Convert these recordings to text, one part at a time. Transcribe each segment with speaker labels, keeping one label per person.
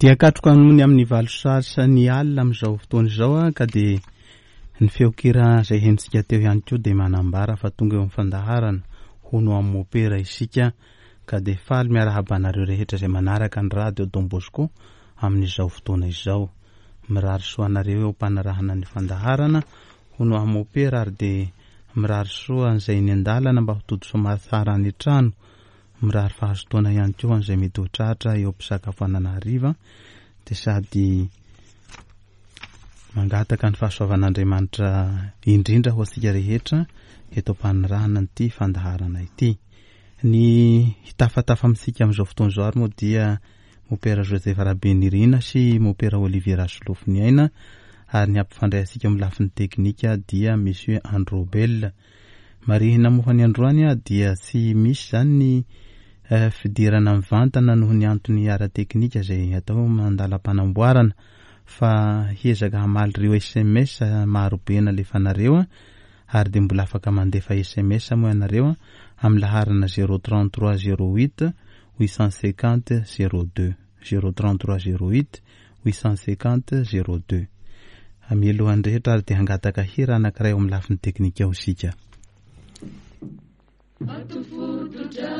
Speaker 1: Dia katroka nony amin'ny valo sasany alina amin'izao fotoana izao ka dia ny feon-kira izay henontsika teo ihany koa dia manambara fa tonga eo amin'ny fandaharana hono amin'ny mopera isika ka dia faly miarahaba anareo rehetra izay manaraka ny radio Don Bosco amin'izao fotoana izao. Mirary soa anareo eo am-panarahana ny fandaharana hono amin'ny mopera ary dia mirary soa an'izay eny an-dalana mba ho tody soamatsara any an-trano. Mirary fahazotoana ihany koa an'izay mety ho tratra eo am-pisakafoanana hariva dia sady mangataka ny fahasoavan'Andriamanitra indrindra ho antsika rehetra eto am-panirahana an'ity fandaharana ity. Ny hitafatafa amintsika amin'izao fotoana izao ary moa dia Mopera Joseph Rabenirina sy Mopera Olivier Rasolofoniaina ary ny hampifandray antsika amin'ny lafiny teknika dia Monsieur Androbel. Marihina moa fa ny androany dia tsy misy izany ny fidirana mivantana noho ny antony ara-teknika izay atao mandalam-panamboarana fa hiezaka hamaly ireo sms marobe nalefanareo ary dia mbola afaka mandefa sms moa ianareo amin'ny laharana 033 08 850 02 033 08 850 02. Mialohan'ny rehetra ary dia hangataka hira anankiray ao amin'ny lafiny teknika ao isika.
Speaker 2: Vato fototra,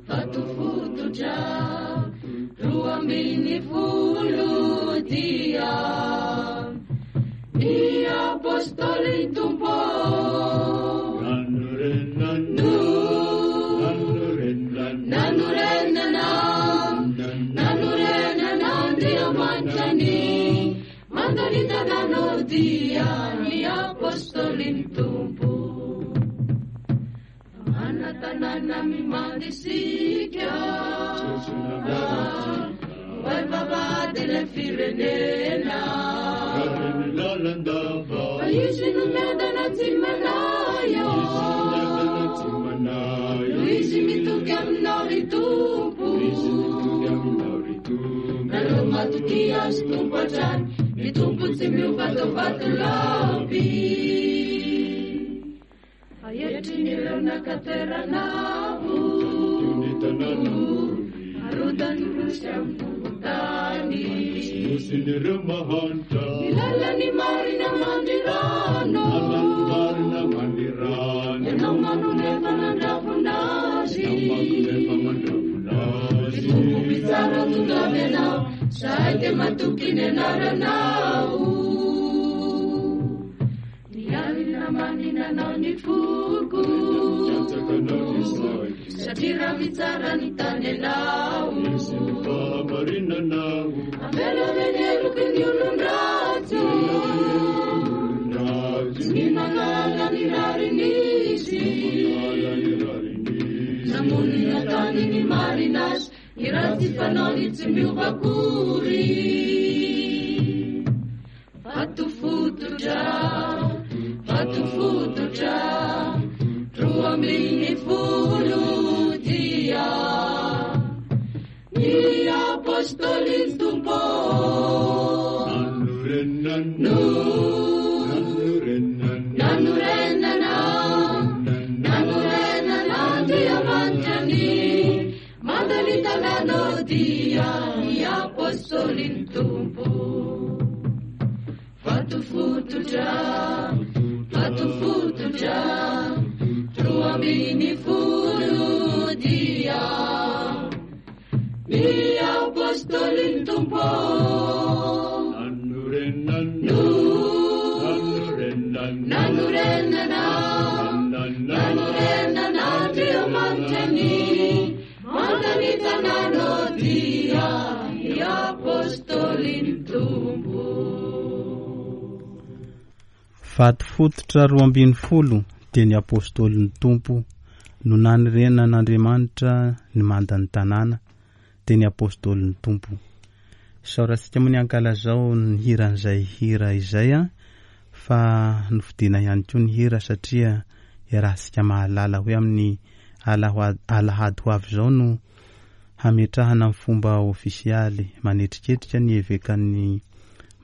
Speaker 2: vato fototra, 12 dia ny apôstôly Tompo. Nanorenana, nanorenana Andriamanitra ny mandany tanàna dia ny apôstôlin'ny Tompo. Mana tanàna mimanda isika, hoay vavahadin'ny firenena. Fa izy no miadana tsy manahy, no izy mitoky aminao ry Tompo. Nareo matoky azy Tompo hatrany, ny Tompo tsy miova tao vatolampy. Fa etrin'ireo naka toerana avo, arodany nosy amin'ny tany. Ny lalan'ny marina mandrirano, ianao manome fa nandravona azy. Ny Tompo mpitsara tonga avy ianao, zahay dia matoky ny anaranao. Ny alina manina anao ny foko, satria raha mitsara ny tany ianao. Amelave ny heloky ny olon-dratsy, tsy ny manala ny rariny izy. Namonina tany ny marina azy, ny ratsy fanaony tsy miova akory. Vato fototra, vato fototra, 12 dia ny apôstôlin'ny Tompo. No nanorenana, nanorenana Andriamanitra ny mandany tanàna dia ny apôstôlin'ny Tompo. Vato fototra, vato fototra, 12 dia ny apôstôlin'ny Tompo. No nanorenana, nanorenana Andriamanitra ny mandany tanàna dia ny apôstôlin'ny Tompo.
Speaker 1: Vato fototra 12 dia ny apôstôlin'ny Tompo no nanorenan'Andriamanitra ny mandan'ny tanàna dia ny apôstôlin'ny Tompo. Isaorantsika moa ny ankalazao ny hiran'izay hira izay fa nofidiana ihany koa ny hira satria iarahantsika mahalala hoe amin'ny alahady ho avy izao no hametrahana amin'ny fomba ofisialy manetriketrika ny evekan'ny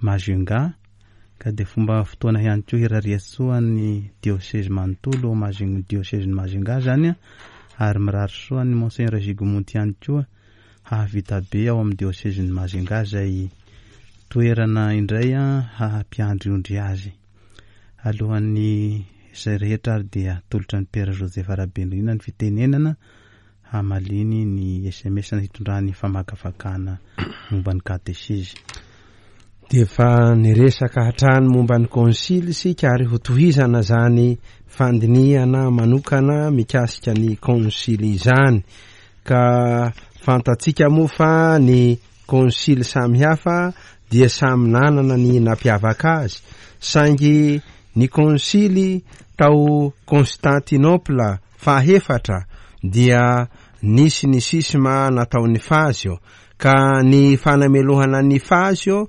Speaker 1: Majunga ka dia fomba fotoana ihany koa hirariantsoa ny diosezy manontolo ao Majunga, diosezin'i Majunga zany ary mirary soa ny Monseigneur Gigumonti ihany koa. hahavita be ao amin'ny diosezin'i Majunga izay toerana indray haha-mpiandry ondry azy. Alohan'ny izay rehetra ary dia atolotra an'i Père Joseph Rabenirina ny fitenenana hamaliany ny sms hitondrany famakafakana momba ny katesizy.
Speaker 3: Dia efa niresaka hatrany momba ny konsily isika ary hotohizana izany fandinihana manokana mikasika ny konsily izany. Ka fantatsika moa fa ny konsily samihafa dia samy nanana ny nampiavaka azy, saingy ny konsily tao Constantinople fahefatra dia nisy ny sisma nataon'i Fazio, ka ny fanamelohana an'i Fazio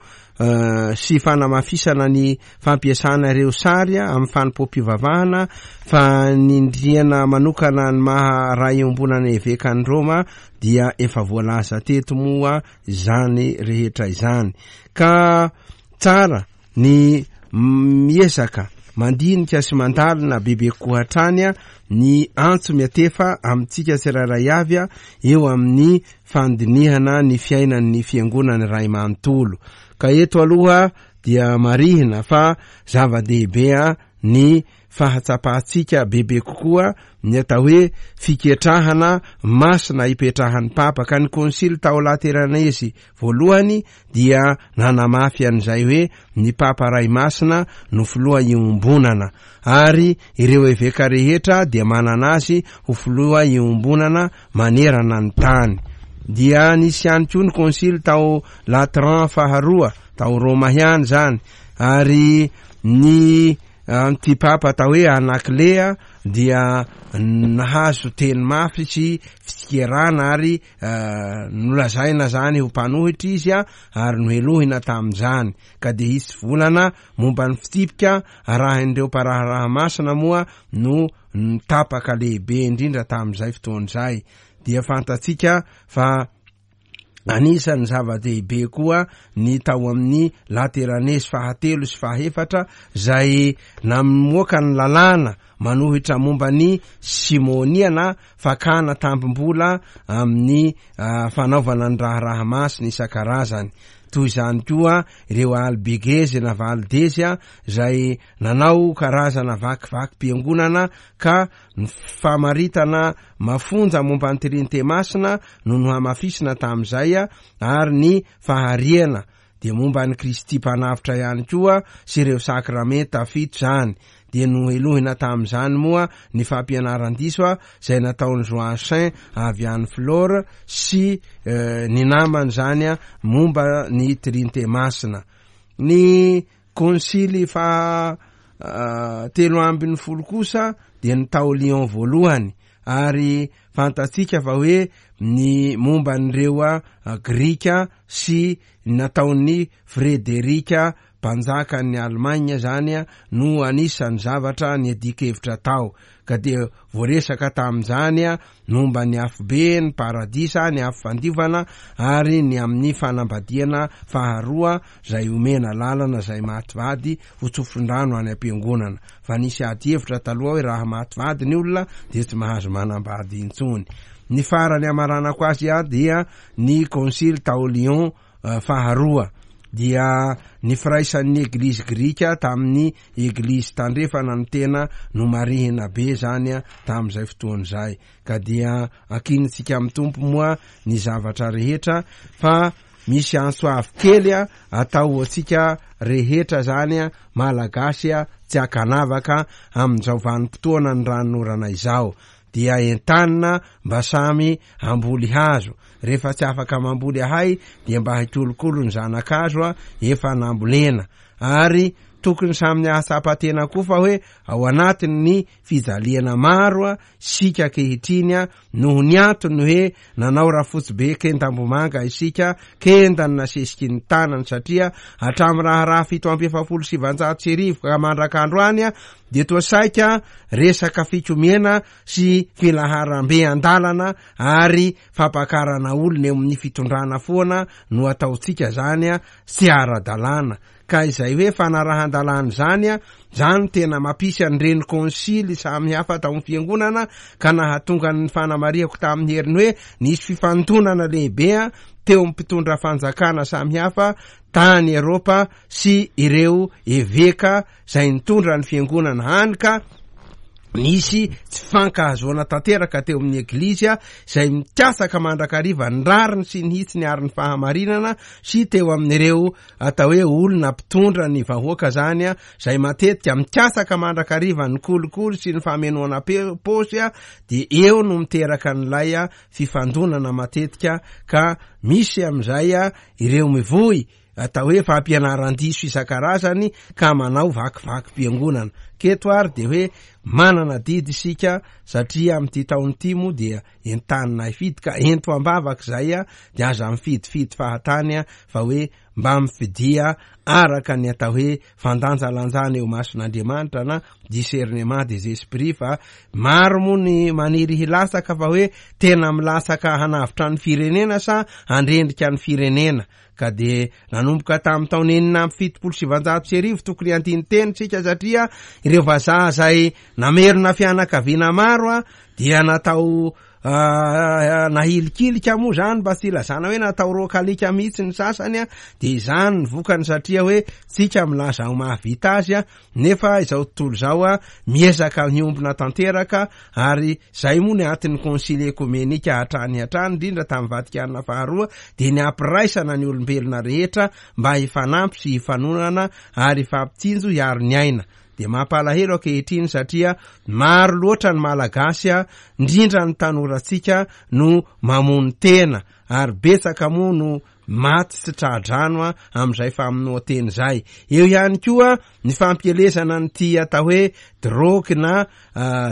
Speaker 3: sy fanamafisana ny fampiasana ireo sary amin'ny fanompoam-pivavahana, fanindriana manokana ny maha ray iombonana evekan'i Roma dia efa voalaza teto moa izany rehetra izany. Ka tsara ny miezaka mandinika sy mandalina bebe kokoa hatrany ny antso miatefa amintsika tsirairay avy eo amin'ny fandinihana ny fiainan'ny fiangonana iray manontolo. Ka eto aloha dia marihina fa zava-dehibe ny fahatsapantsika bebe kokoa ny atao hoe fiketrahana masina ipetrahan'ny Papa, ka ny Konsily tao Lateranesy voalohany dia nanamafy an'izay hoe ny Papa Ray Masina no filoha iombonana, ary ireo eveka rehetra dia manana azy ho filoha iombonana manerana ny tany. Dia nisy ihany koa ny Konsily tao Latran faharoa, tao Roma ihany izany, ary ny Antipapa atao hoe Anaklea dia nahazo teny mafy sy fitsikerana ary nolazaina zany ho mpanohitra izy ary nohelohina tamin'izany ka dia hisy volana momba ny fitsipika arahin'ireo mparaharaha masina moa no tapaka lehibe indrindra tamin'izay fotoana izay dia fantatsika fa Anisan'ny zava-dehibe koa ny tao amin'ny Lateranesy fahatelo sy fahefatra izay namoaka ny lalàna manohitra momba ny simonia na fakana tambim-bola amin'ny fanaovana ny raharaha masina isan-karazany. Toy izany koa ireo Albigezy na Valdezy izay nanao karazana vakivakim-piangonana ka Ny famaritana mafonja momba ny Trinite Masina no nohamafisina tamin'izay, ary ny fahariana dia momba an'i Kristy Mpanavotra ihany koa sy ireo sakramenta fito izany. Dia nohelohina tamin'izany moa ny fampianaran-diso izay nataon'i Joachim avy any Flore sy ny namany izany momba ny Trinite Masina. Ny Konsily faha 13 kosa dia ny tao Lyon voalohany ary fantatsika fa hoe ny momba an'ireo Grika sy ny nataon'ny Frederika mpanjakan'ny Allemagne zany no anisan'ny zavatra niadian-kevitra tao ka dia voaresaka tamin'izany momba ny afobe, ny paradisa, ny afo fandiovana ary ny amin'ny fanambadiana faharoa izay omena lalana izay maty vady ho tsofin-drano any am-piangonana. Fa nisy ady hevitra taloha hoe raha maty vady ny olona dia tsy mahazo manambady intsony. Ny farany hamaranako azy dia ny konsily tao Lyon faharoa dia ny firaisan'ny Eglizy Grika tamin'ny Eglizy Tandrefana no tena nomarihina be izany tamin'izay fotoana izay. Ka dia ankinintsika amin'ny Tompo moa ny zavatra rehetra fa misy antso avo kely atao ho antsika rehetra izany Malagasy tsy ankanavaka amin'izao vanim-potoana ny ranonorana izao. Dia entanina mba samy hamboly hazo. Rehefa tsy afaka mamboly ahay dia mba hikolokolo ny zana-kazo efa nambolena. Ary tokony samy hahatsapa tena koa fa hoe ao anatin'ny fijaliana maro isika ankehitriny noho ny antony hoe nanao rafotsy be kendambomanga isika, kenda ny nasesiky ny tanany satria hatramin'ny raharaha 1947 ka mandrak'androany dia toa saika resaka fikomiana sy filaharam-be an-dalana ary fampakarana olona eo amin'ny fitondrana foana no ataontsika zany tsy ara-dalàna. Ka izay hoe fanarahan-dalàna izany a, izany no tena mampisy an'ireny konsily samy hafa tao amin'ny fiangonana ka nahatonga ny fanamarihako tamin'ny heriny hoe nisy fifantonana lehibe a teo amin'ny mpitondra fanjakana samy hafa tany Eropa sy ireo eveka izay nitondra ny fiangonana hany ka nisy tsy fankahazoana tanteraka teo amin'ny Eglizy izay mikatsaka mandrakariva ny rariny sy ny hitsiny ary ny fahamarinana sy teo amin'ireo atao hoe olona mpitondra ny vahoaka zany a, izay matetika mikatsaka mandrakariva ny kolikoly sy ny famenoana paosy a, dia eo no miteraka an'ilay fifandonana matetika ka misy amin'izay a ireo mivoy atao hoe fampianaran-diso isan-karazany ka manao vakivakim-piangonana. K'eto ary dia hoe manana adidy isika satria amin'ity taona ity moa dia entanina hifidy ka ento am-bavaka izay a, dia aza mifidifidy fahatany a, fa hoe mba mifidia araka ny atao hoe fandanjalanjana eo imason'Andriamanitra na discernement des esprits fa maro moa ny maniry hilatsaka fa hoe tena milatsaka hanavotra ny firenena sa handrendrika ny firenena ka dia nanomboka tamin'ny taona 1976 tokony handini-teny isika satria ireo vazaha izay namerina fianakaviana maro a dia natao nahilikilika moa zany mba tsy ilazana hoe natao roakalika mihitsy ny sasany a dia izany ny vokany satria hoe tsika milaza ho mahavita azy a nefa izao tontolo izao a miezaka miombona tanteraka ary zay moa ny antin'ny konsily ekomenika hatrany hatrany indrindra tamin'ny Vatikana faharoa dia ny hampiraisana ny olombelona rehetra mba hifanampy sy hifanonana ary hifampitsinjo hiaro ny aina Dia mampalahelo ankehitriny satria maro loatra ny Malagasy indrindra ny tanorantsika no mamono tena ary betsaka moa no maty tsy tra-drano amin'izay famonoan-tena izay. Eo ihany koa ny fampielezana an'ity atao hoe drogue na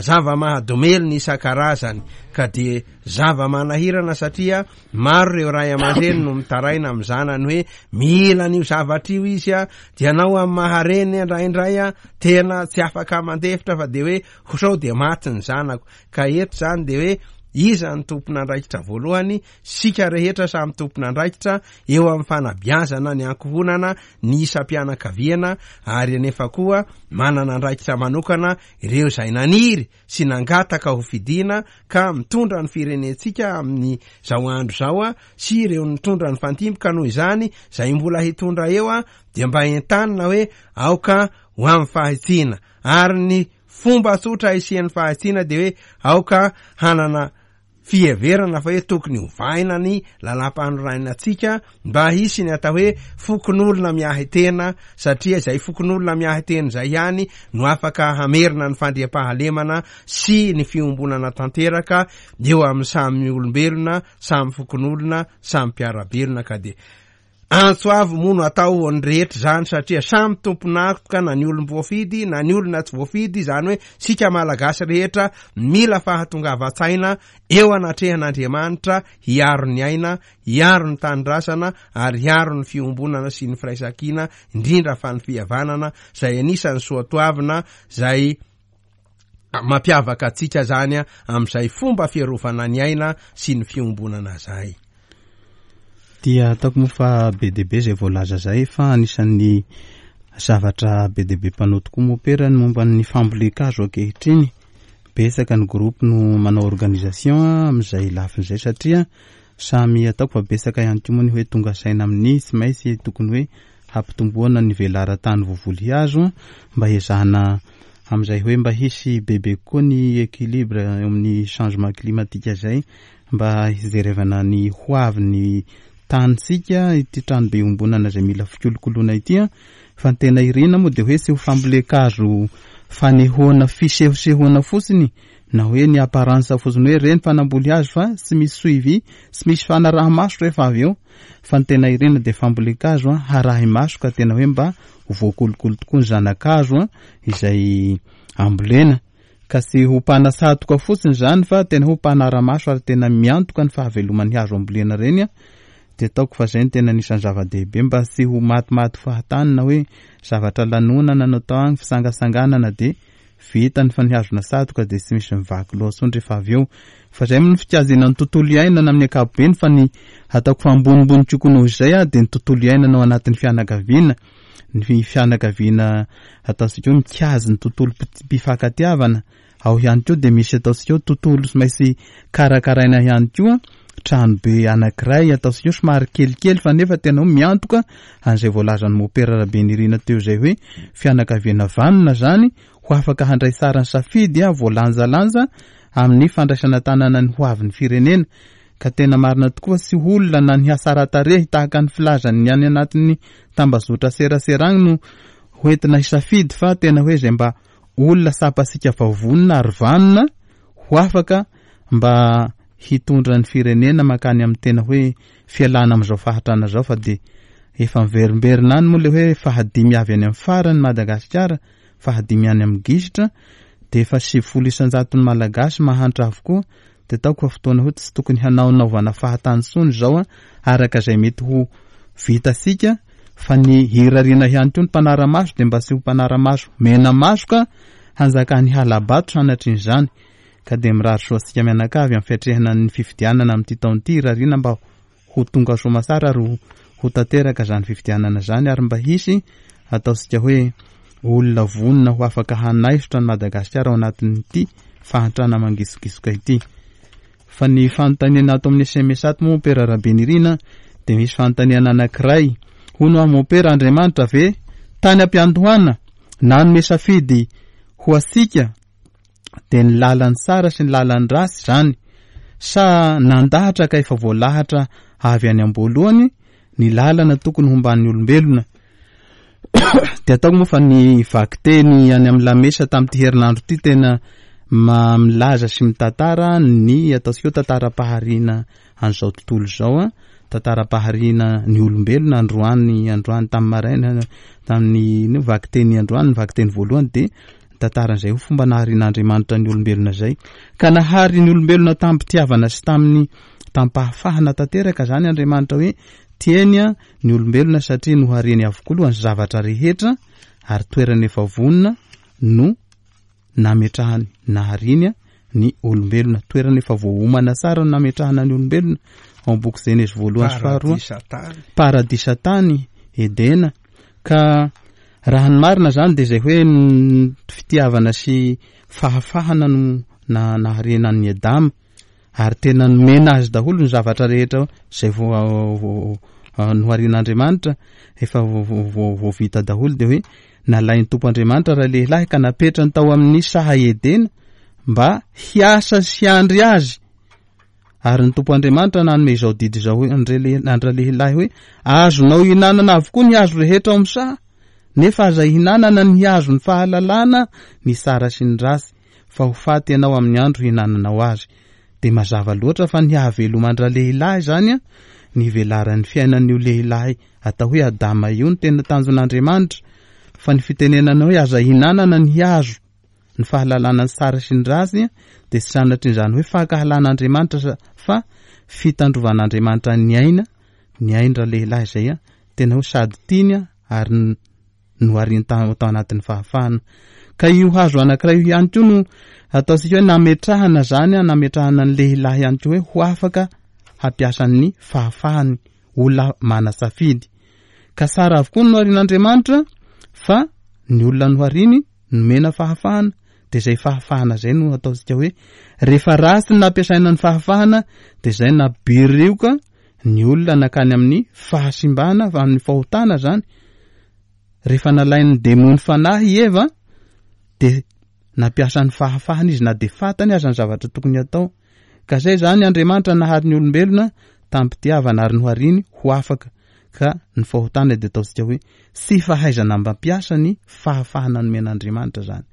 Speaker 3: zava-mahadomelina isan-karazany ka dia zava-manahirana satria maro ireo ray aman-dreny no mitaraina amin'ny zanany hoe mila an'io zavatra io izy a, dia anao amin'ny maha-reny indraindray a tena tsy afaka mandefitra fa dia hoe ho sao dia maty ny zanako. Ka eto izany dia hoe iza no tompon'andraikitra voalohany? Isika rehetra samy tompon'andraikitra eo amin'ny fanabeazana ny ankohonana, ny isam-pianakaviana ary anefa koa manana andraikitra manokana ireo izay naniry sy nangataka ho fidiana ka mitondra ny firenentsika amin'izao andro izao sy ireo nitondra ny fantimby ka noho izany izay mbola hitondra eo dia mba entanina hoe aoka ho amin'ny fahitsiana ary ny fomba tsotra hisian'ny fahitsiana dia hoe aoka hanana fiheverana fa hoe tokony hovaina ny lalàmpanorenantsika mba hisy ny atao hoe fokonolona miahy tena satria izay fokonolona miahy tena izay ihany no afaka hamerina ny fandriampahalemana sy ny fiombonana tanteraka eo amin'ny samy olombelona, samy fokonolona, samy mpiara-belona ka dia Antso avo moa no atao ho an'ny rehetra izany satria samy tompon'antoka na ny olom-boafidy na ny olona tsy voafidy, izany hoe isika Malagasy rehetra mila fahatongavan-tsaina eo anatrehan'Andriamanitra hiaro ny aina, hiaro ny tanindrazana ary hiaro ny fiombonana sy ny firaisankina indrindra fa ny fihavanana izay anisan'ny soatoavina izay mampiavaka antsika izany amin'izay fomba fiarovana ny aina sy ny fiombonana izay.
Speaker 1: Dia ataoko moa fa be dia be izay voalaza izay fa anisan'ny zavatra be dia be mpanao tokoa mopera ny momba ny fambolen-kazo ankehitriny. Betsaka ny groupe no manao organisation amin'izay lafiny izay satria samy ataoko fa betsaka ihany koa moa ny hoe tonga saina amin'ny tsy maintsy tokony hoe hampitomboana ny velaran-tany voavoly hazo mba hiezahana amin'izay hoe mba hisy bebe kokoa ny équilibre eo amin'ny changement climatique izay mba hijerevana ny ho avin'ny tanintsika ity tranobe iombonana izay mila fikolokoloana ity an! Fa ny tena irina moa dia hoe tsy ho fambolen-kazo fanehoana fisehosehoana fotsiny na hoe ny apparence fotsiny hoe ireny fa namboly hazo fa tsy misy suivi, tsy misy fanaraha-maso rehefa avy eo fa ny tena irina dia fambolen-kazo an, harahi-maso ka tena hoe mba ho voakolokolo tokoa ny zana-kazo an, izay ambolena. Ka tsy ho mpanasatoka fotsiny izany fa tena ho mpanara-maso ary tena miantoka ny fahaveloman'ny hazo ambolena ireny an, dia ataoko fa izay no tena anisan'ny zava-dehibe mba tsy ho matimaty fahatany na hoe zavatra lanonana no atao agny, fitsangatsanganana dia vita ny fa ny hazo nasatoka dia tsy misy mivaky loha intsony rehefa avy eo. Fa izay moa ny fikajiana ny tontolo iainana amin'ny ankapobeny fa ny ataoko fa ambonimbony kokoa noho izay dia ny tontolo iainana ao anatin'ny fianakaviana. ny fianakaviana ataontsika hoe mikajy ny tontolom-pifankatiavana, ao ihany koa dia misy ataontsika hoe tontolo tsy maintsy karakaraina ihany koa, tranobe anankiray ataontsika hoe somary kelikely fa nefa tena hoe miantoka an'izay voalazan'i Mopera Rabenirina teo izay hoe fianakaviana vanona izany ho afaka handray tsara ny safidy voalanjalanja amin'ny fandraisana tanana ny hoavin'ny firenena. Ka tena marina tokoa tsy olona na ny hatsara-tarehy tahaka ny filazan'ny any anatin'ny tambazotra serasera agny no hoentina hisafidy fa tena hoe izay mba olona tsapantsika fa vonona ary vanona ho afaka mba hitondra ny firenena mankany amin'ny tena hoe fialana amin'izao fahantrana izao fa dia efa miverimberina any moa le hoe fahadimy avy any amin'ny farany Madagasikara fahadimy any amin'ny gisitra dia efa 90 isan-jaton'ny Malagasy mahantra avokoa dia ataoko fa fotoana hoe tsy tokony hanaonaovana fahatany intsony izao araka izay mety ho vitantsika fa ny hirariana ihany koa ny mpanara-maso dia mba tsy ho mpanara-maso mena maso ka hanjakan'ny hala-bato sanatrin'izany ka dia mirary soa antsika mianakavy amin'ny fiatrehana ny fifidianana amin'ity taona ity irariana mba ho tonga soamatsara ary ho tanteraka izany fifidianana izany ary mba hisy ataontsika hoe olona vonona ho afaka hanaisotra an'i Madagasikara ao anatin'ity fahantrana mangisogisoka ity. Fa ny fanontaniana ato amin'ny sms ato moa Mompera Rabenirina dia misy fanontaniana anankiray. Hono aho Mompera Andriamanitra ve tany am-piandohana nanome safidy ho antsika dia ny lalan'ny tsara sy ny lalan'ny ratsy izany sa nandahatra ka efa voalahatra avy any am-boalohany ny lalana tokony homban'ny olombelona? Dia ataoko moa fa ny vakiteny any amin'ny lamesa tamin'ity herinandro ity tena milaza sy mitantara ny ataontsika hoe tantaram-pahariana an'izao tontolo izao an, tantaram-pahariana ny olombelona androany androany tamin'ny maraina tamin'ny vakiteny androany ny vakiteny voalohany dia ny tantaran'izay ho fomba naharian'Andriamanitra ny olombelona izay. Ka nahary ny olombelona tamim-pitiavana sy tamin'ny tamim-pahafahana tanteraka izany Andriamanitra hoe tiany ny olombelona satria nohariany avokoa aloha ny zavatra rehetra ary toerana efa vonona no nametrahany nahariany ny olombelona. Toerana efa voaomana tsara no nametrahana ny olombelona ao amin'ny boky Genezy voalohany sy faharoa. Paradisa tany, Edena. Ka raha ny marina zany dia izay hoe fitiavana sy fahafahana no naharena an'i Adama ary tena nomena azy daholo ny zavatra rehetra izay noharian'Andriamanitra efa voavita daholo dia hoe nalain'ny Tompo Andriamanitra ralehilahy ka napetrany tao amin'ny saha Edena mba hiasa sy hiandry azy Ary ny Tompo Andriamanitra nanome izao didy izao an-dralehilahy hoe, Azonao ihinanana avokoa ny hazo rehetra ao amin'ny saha, nefa aza ihinanana ny hazon'ny fahalalana ny tsara sy ny ratsy, fa ho faty ianao amin'ny andro hihinananao azy. Dia mazava loatra fa ny hahaveloman-dralehilahy izany, ny hivelaran'ny fiainan'io lehilahy atao hoe Adama io no tena tanjon'Andriamanitra, fa ny fitenenana hoe aza ihinanana ny hazo, Ny fahalalana ny tsara sy ny ratsy dia tsy sanatrin'izany hoe fankahalana Andriamanitra fa fitandrovan'Andriamanitra ny aina, ny ain-dralehilahy izay tena hoe sady tiany ary nohariny tao anatin'ny fahafahana. Ka io hazo anankiray io ihany koa no ataontsika hoe nametrahana izany, nametrahana ny lehilahy ihany koa hoe ho afaka hampiasa ny fahafahany, olona manasafidy. Ka tsara avokoa ny noharin'Andriamanitra fa ny olona nohariny nomena fahafahana dia izay fahafahana izay no ataontsika hoe rehefa ratsy ny nampiasaina ny fahafahana dia izay nabirioka ny olona nakany amin'ny fahasimbana amin'ny fahotana zany rehefa nalain'ny demony fanahy i Eva dia nampiasa ny fahafahana izy na dia fantany aza ny zavatra tokony hatao ka izay zany Andriamanitra nahary ny olombelona tamim-pitiavana ary nohariny ho afaka ka ny fahotana dia ataontsika hoe tsy fahaizana mampiasa ny fahafahana nomen'Andriamanitra zany.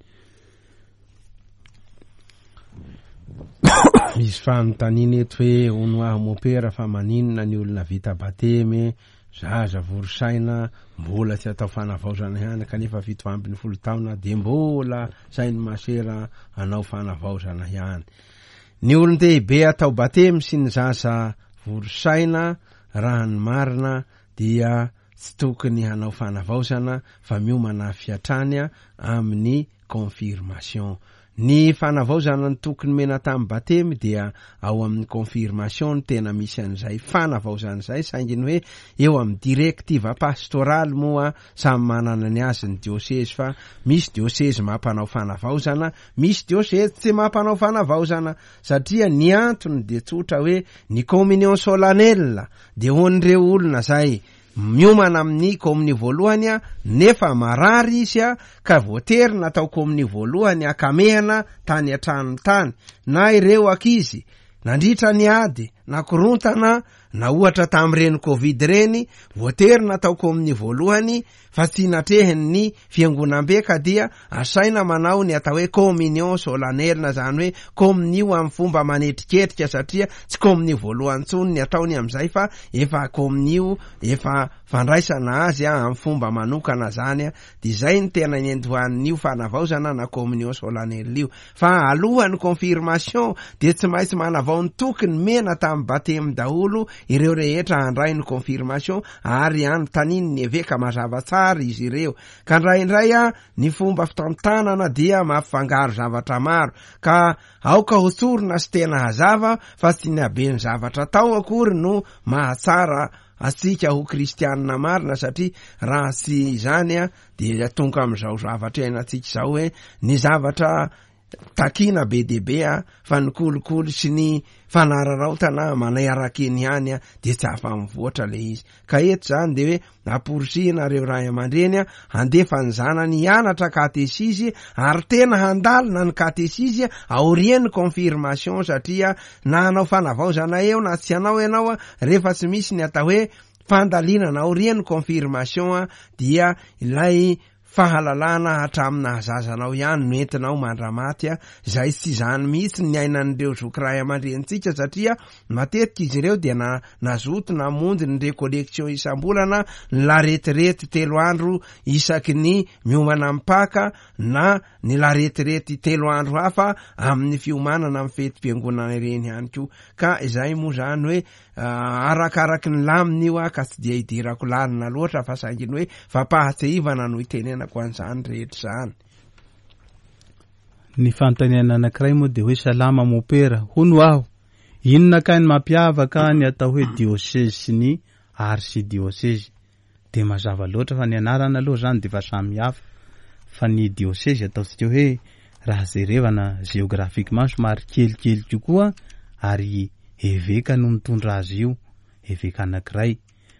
Speaker 3: Misy fanontaniana eto hoe hono aho mopera fa maninona ny olona vita batemy, zaza vory saina, mbola tsy atao fanavaozana ihany kanefa 17 taona dia mbola sain'ny masera hanao fanavaozana ihany. Ny olon-dehibe atao batemy sy ny zaza vory saina Raha ny marina dia tsy tokony hanao fanavaozana fa miomana avy hatrany amin'ny confirmation. Ny fanavaozana ny toky nomena tamin'ny batemy dia ao amin'ny confirmation no tena misy an'izay fanavaozana izay saingy ny hoe eo amin'ny directive pastoraly moa samy manana ny azy ny diosezy fa misy diosezy mampanao fanavaozana, misy diosezy tsy mampanao fanavaozana satria ny antony dia tsotra hoe ny communion solennelle dia ho an'ireo olona izay Miomana amin'ny komonio voalohany nefa marary izy ka voatery natao komonio voalohany ankamehana tany an-tranony tany, na ireo ankizy nandritra ny ady na korontana na ohatra tamin'ireny covid ireny voatery natao komonio voalohany fa tsy natrehin'ny fiangonambe ka dia asaina manao ny atao hoe communion solennelle izany hoe komonio amin'ny fomba manetriketrika satria tsy komonio voalohany intsony ny ataony amin'izay fa efa komonio efa fandraisana azy amin'ny fomba manokana zany dia izay ny tena niandohan'io fanavaozana na communion solennelle io fa alohan'ny confirmation dia tsy maintsy manavao ny toky nomena tamin'ny batemy daholo ireo rehetra handray ny confirmation ary anontanian'ny eveka mazava tsara izy ireo ka indraindray a ny fomba fitantanana dia mampifangaro zavatra maro ka aoka ho tsorina sy tena hazava fa tsy ny haben'ny zavatra atao akory no mahatsara antsika ho kristianina marina satria raha tsy izany a dia tonga amin'izao zavatra iainantsika izao hoe ny zavatra takiana be dia be a fa ny kolikoly sy ny fanararaotana manay araka eny ihany a dia tsy afa-mivoatra le izy ka eto zany de hoe amporisihina ireo ray aman-dreny a handefa ny zanany hianatra katesizy ary tena handalina ny katesizy aorian'ny confirmation satria na hanao fanavaozana eo na tsy hanao ianao a rehefa tsy misy ny atao hoe fandalinana aorian'ny confirmation a dia ilay fahalalana hatramin'ny nahazaza anao ihany no entinao mandramaty a, izay tsy izany mihitsy ny niainan'ireo zoky ray aman-drenintsika satria matetika izy ireo dia na nazoto namonjy ny recollection isam-bolana, ny laretirety telo andro isaky ny miomana amin'ny Paka na ny laretirety telo andro hafa amin'ny fiomanana amin'ny fetim-piangonana ireny ihany koa ka izay moa izany hoe Arakaraky ny lamina io ka tsy dia idirako lalina loatra fa saingy ny hoe fampahatsiahivana no itenenako an'izany rehetra izany.
Speaker 1: Ny fanontaniana anankiray moa dia hoe salama mopera, hono aho, inona kay ny mampiavaka ny atao hoe diosezy sy ny arsidiosezy? Dia mazava loatra fa ny anarana aloha izany dia efa samy hafa fa ny diosezy ataontsika hoe raha jerevana géographiquement somary kelikely kokoa ary eveka no mitondra azy io, eveka anankiray.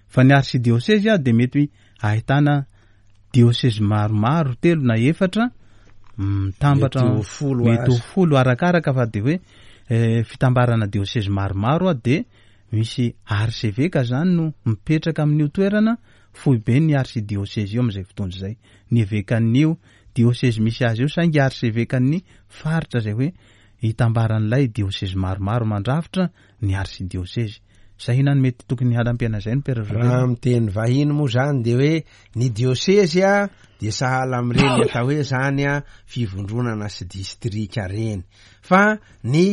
Speaker 1: Fa ny arsidiosezy dia mety ahitana diosezy maromaro, telo na efatra mitambatra,
Speaker 3: Mety ho folo
Speaker 1: mety ho
Speaker 3: aza.
Speaker 1: folo arakaraka fa dia hoe fitambarana diosezy maromaro dia Misy arseveka izany no mipetraka amin'io toerana foiben'ny arsidiosezy io amin'izay fotoana izay. Ny evekan'io diosezy misy azy io saingy arsevekan'ny faritra izay hoe itambaran'ilay diosezy maromaro mandrafitra ny arsidiosezy. Izay inona no mety tokony hanampiana izay no Père Joseph?
Speaker 3: Raha amin'ny teny vahiny moa izany dia hoe ny diosezy dia sahala amin'ireny atao hoe izany fivondronana sy distrika ireny. Fa ny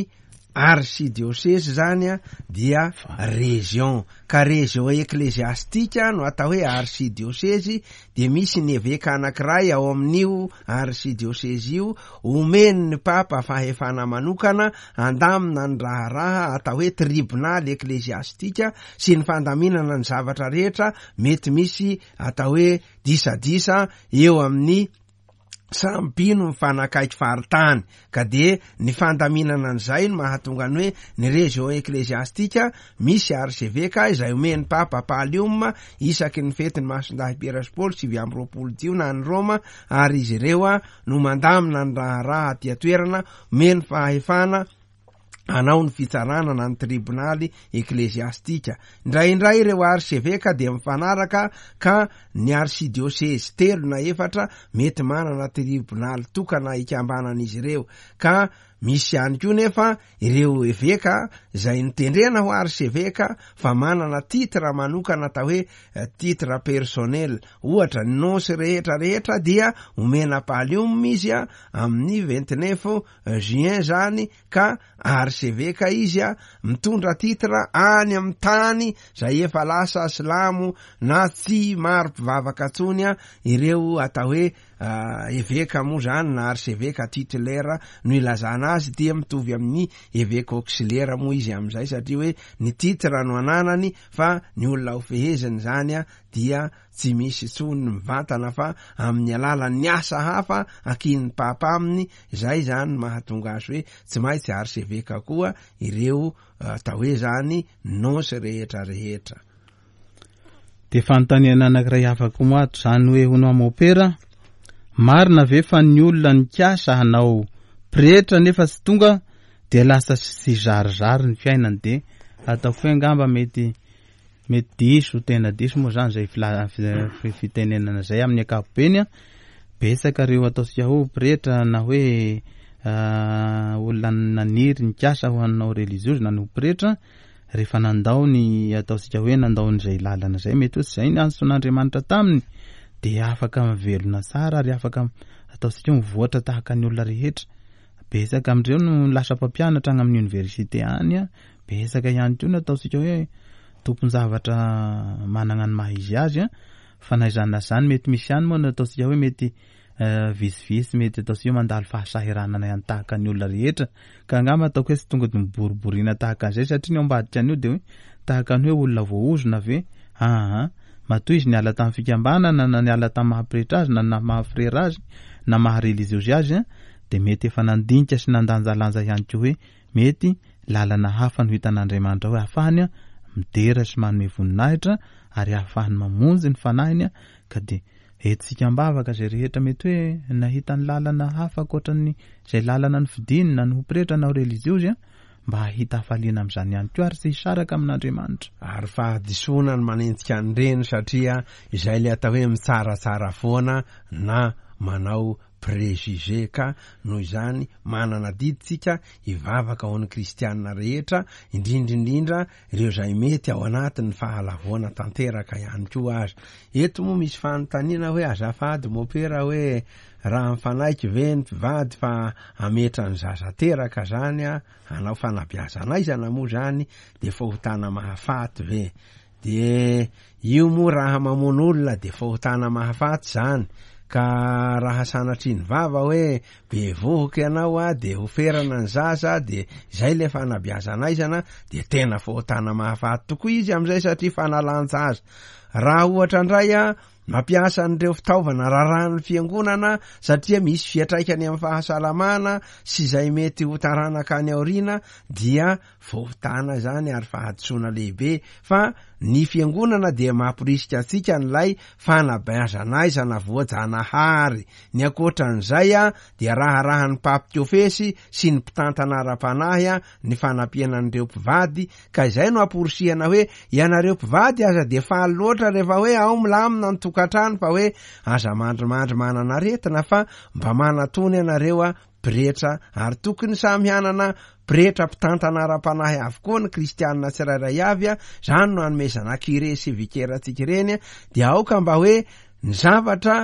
Speaker 3: Archidiocese izany dia région, ka région ecclésiastique no atao hoe archidiocese, dia misy ny eveka anankiray ao amin'io archidiocese io, omen'ny Papa fahefana manokana handamina ny raharaha atao hoe tribonaly ecclésiastique sy ny fandaminana ny zavatra rehetra mety misy atao hoe disadisa eo amin'ny samy mpino mifanakaiky faritany ka dia ny fandaminana an'izay no mahatonga ny hoe ny région ecclésiastique misy archevêque izay omen'ny Papa Pallium isaky ny fetin'ny Masindahy Piera sy Paoly 29 jiona any Roma ary izy ireo no mandamina ny raharaha aty an-toerana omeny fahefana hanao ny fitsarana na ny tribonaly ekleziastika. Indraindray ireo arseveka dia mifanaraka ka ny arsidiosezy telo na efatra mety manana tribonaly tokana ikambanan'izy ireo ka. Misy ihany koa nefa ireo eveka izay notendrena ho arseveka fa manana titre manokana atao hoe titre personnel. Ohatra, ny nonce rehetra rehetra dia omena pallium izy amin'ny 29 juin zany ka arseveka izy mitondra titre any amin'ny tany izay efa lasa silamo na tsy maro mpivavaka intsony ireo atao hoe Eveka moa zany na arseveka titulaire no ilazana azy dia mitovy amin'ny eveka auxiliaire moa izy amin'izay satria hoe ny titre no ananany fa ny olona ho feheziny zany dia tsy misy intsony mivantana fa amin'ny alalan'ny asa hafa ankinin'ny papa aminy, izay zany no mahatonga azy hoe tsy maintsy arseveka koa ireo atao hoe zany nonce rehetra rehetra.
Speaker 1: Dia fanontaniana anankiray hafa koa moa ato izany hoe hono aho mopera, marina ve fa ny olona nikasa hanao pretra nefa tsy tonga dia lasa tsy zarizary ny fiainany dia ataoko hoe angamba mety mety diso tena diso moa izany izay fitenenana izay amin'ny ankapobeny an, betsaka ireo ataontsika hoe pretra na hoe olona naniry nikasa ho hanao relijiozy na ny ho pretra rehefa nandao ny ataontsika hoe nandao an'izay lalana izay, mety hoe tsy izay ny antson'Andriamanitra taminy, dia afaka mivelona tsara ary afaka ataontsika hoe mivoatra tahaka ny olona rehetra. Betsaka amin'ireo no lasa mpampianatra any amin'ny oniversite any, betsaka ihany koa no ataontsika hoe tompon-javatra manana ny maha izy azy, fa na izany na izany mety misy ihany moa no ataontsika hoe mety Vitsivitsy mety ataontsika hoe mandalo fahasahiranana ihany tahaka ny olona rehetra ka angamba ataoko hoe tsy tonga dia miboriboriana tahaka an'izay satria ny ao ambadika an'io dia hoe tahaka ny hoe olona voaozona ve? Aa matoa izy niala tamin'ny fikambanana na niala tamin'ny maha pretra azy na na maha frera azy na maha reliziozy azy dia mety efa nandinika sy nandanjalanja ihany koa hoe mety lalana hafa no hitan'Andriamanitra hoe ahafahany midera sy manome voninahitra ary ahafahany mamonjy ny fanahiny ka dia Entintsika am-bavaka izay rehetra mety hoe nahita ny lalana hafa ankoatra ny izay lalana nofidiny na ny ho pretra na ho relijiozy mba hahita hafaliana amin'izany ihany koa ary tsy hisaraka amin'Andriamanitra.
Speaker 3: Ary fahadisoana ny manenjika an'ireny satria izay ilay atao hoe mitsaratsara foana na manao préjugé ka noho izany manana adidy tsika hivavaka ho an'ny kristianina rehetra indrindra indrindra ireo izay mety ao anatin'ny fahalavoana tanteraka ihany koa aza. Eto moa misy fanontaniana hoe azafady mopera hoe raha mifanaiky ve ny mpivady fa hametra ny zaza teraka zany hanao fanabeazana aizana moa zany de fahotana mahafaty ve? De io moa raha mamono olona de fahotana mahafaty zany ka raha sanatria ny vava hoe bevohoka ianao a de ho ferana ny zaza de izay le fanabeazana aizana de tena fahotana mahafaty tokoa izy amizay satria fanalan-jaza. Raha ohatra ndray a mampiasa an'ireo fitaovana rarahan'ny fiangonana satria misy fiatraikany amin'ny fahasalamana sy izay mety ho taranaka any aoriana dia Fahotana izany ary fahadisoana lehibe fa ny fiangonana dia mamporisika antsika an'ilay fanabeazan'aizana voajanahary. Ny ankoatran'izay dia raharahan'ny mpampikofesy sy ny mpitantana ara-panahy ny fanampiana an'ireo mpivady ka izay no amporisihana hoe ianareo mpivady aza dia faly loatra rehefa hoe ao milamina ny tokantrano fa hoe aza mandrimandry manana aretina fa mba manatona ianareo Pretra, ary tokony samy hanana pretra mpitantana ara-panahy avokoa ny kristianina tsirairay avy, izany no anomezana curé sy vicaire antsika ireny, dia aoka mba hoe ny zavatra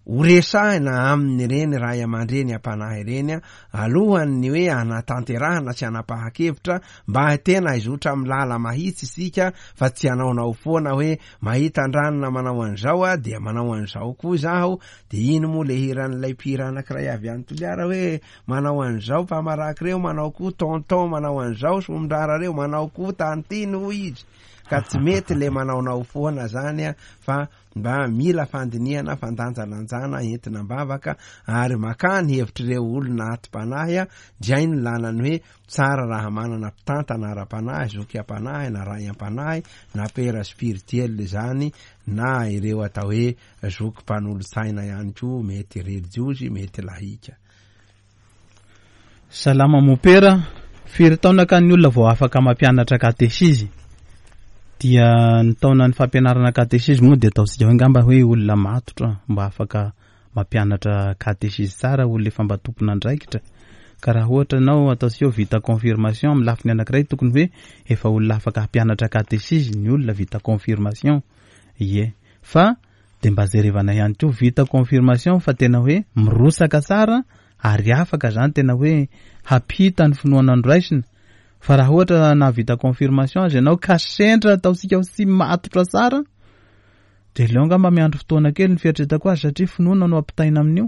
Speaker 3: ho resahina amin'ireny ray aman-dreny am-panahy ireny alohan'ny hoe hanatanterahana sy hanapahan-kevitra mba tena hizotra amin'ny lala mahitsy isika fa tsy hanaonao foana hoe mahita an-dranona manao an'izao aho dia manao an'izao koa izaho De iny moa le hiran'ilay mpihira anankiray avy any Toliara hoe manao an'izao mpamaraky reo, manao koa tonton manao an'izao somondrara reo, manao koa tantine hoy izy. Ka tsy mety le manaonao foana zany a, fa mba mila fandinihana, fandanjalanjana entina am-bavaka ary makà ny hevitr'ireo olona atim-panahy a, dray ny lanany hoe tsara raha manana mpitantana ara-panahy, zoky am-panahy na ray am-panahy na père spirituel izany na ireo atao hoe Zoky mpanolotsaina ihany koa, mety relijiozy, mety lahika.
Speaker 1: Salama mompera, firy taona ka ny olona vao afaka mampianatra katesizy? Dia ny taonan'ny fampianarana katesizy moa dia ataontsika hoe angamba hoe olona matotra mba afaka mampianatra katesizy tsara, olona efa mba tompon'andraikitra. Ka raha ohatra ianao ataontsika hoe vita confirmation amin'ny lafiny anankiray tokony hoe efa olona afaka hampianatra katesizy ny olona vita confirmation. Ie. Fa dia mba jerevana ihany koa vita confirmation fa tena hoe mirotsaka tsara ary afaka zany tena hoe hampita ny finoana noraisina. Fa raha ohatra nahavita confirmation aza ianao ka sendra ataontsika hoe tsy matotra tsara dia aleo angamba miandry fotoana kely ny fieritreretako azy satria finoana no ampitaina amin'io.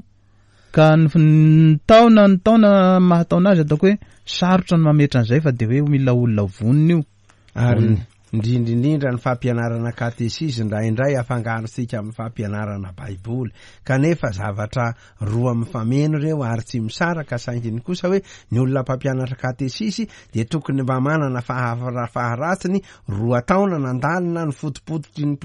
Speaker 1: Ka ny taona ny taona mahataona azy ataoko hoe sarotra ny mametra an'izay fa dia hoe mila olona vonona io.
Speaker 3: Ary indrindra indrindra ny fampianarana katesizy indraindray afangarontsika amin'ny fampianarana baiboly kanefa zavatra roa mifameno ireo ary tsy misaraka saingy ny kosa hoe ny olona mpampianatra katesizy dia tokony mba manana faharatsiny roa taona nandalina ny fotopototry ny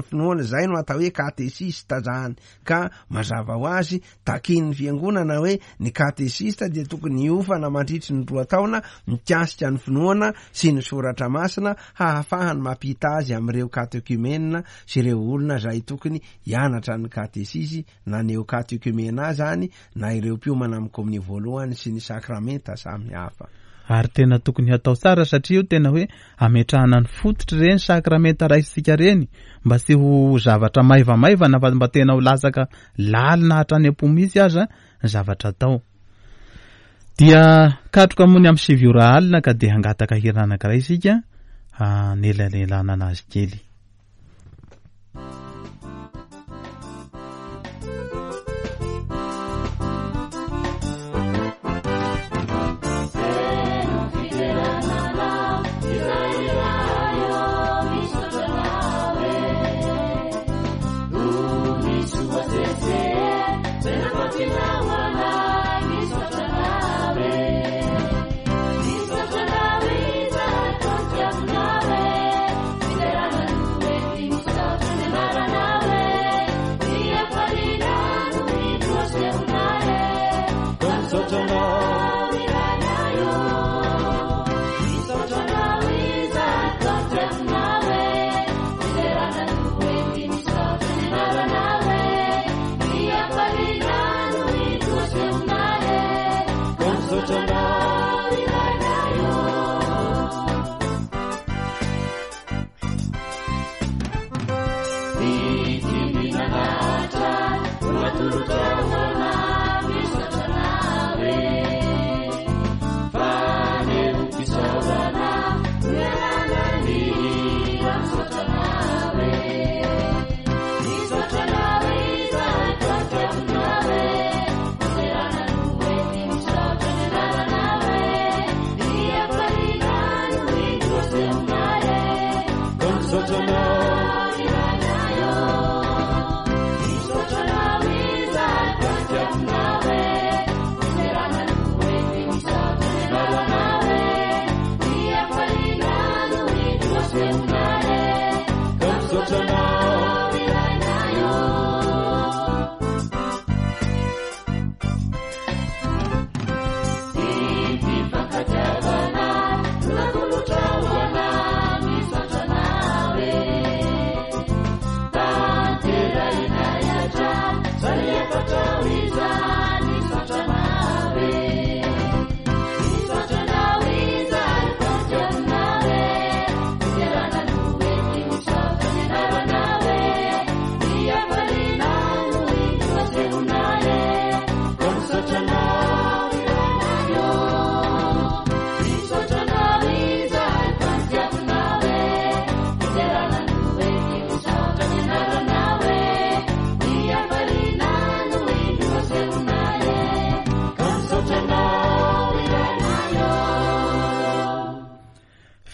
Speaker 3: finoana izay no atao hoe katesista zany Ka mazava ho azy, takian'ny Fiangonana hoe ny katesista dia tokony hiofana mandritry ny roa taona mikasika ny finoana sy ny Soratra Masina hahafahany mampita azy amin'ireo katekiomena sy ireo olona izay tokony hianatra ny katesizy na neokatekiomena izany na ireo mpiomana amin'ny komonio voalohany sy ny sakramenta samihafa.
Speaker 1: Ary tena tokony hatao tsara satria io tena hoe ametrahana ny fototry ireny sakramenta raisintsika ireny mba tsy ho zavatra maivamaivana fa mba tena ho latsaka lalina hatrany am-po mihitsy aza ny zavatra atao. Dia katroka moa ny amin'ny 9 ora alina ka dia hangataka hira anankiray isika hanelanelanana azy kely.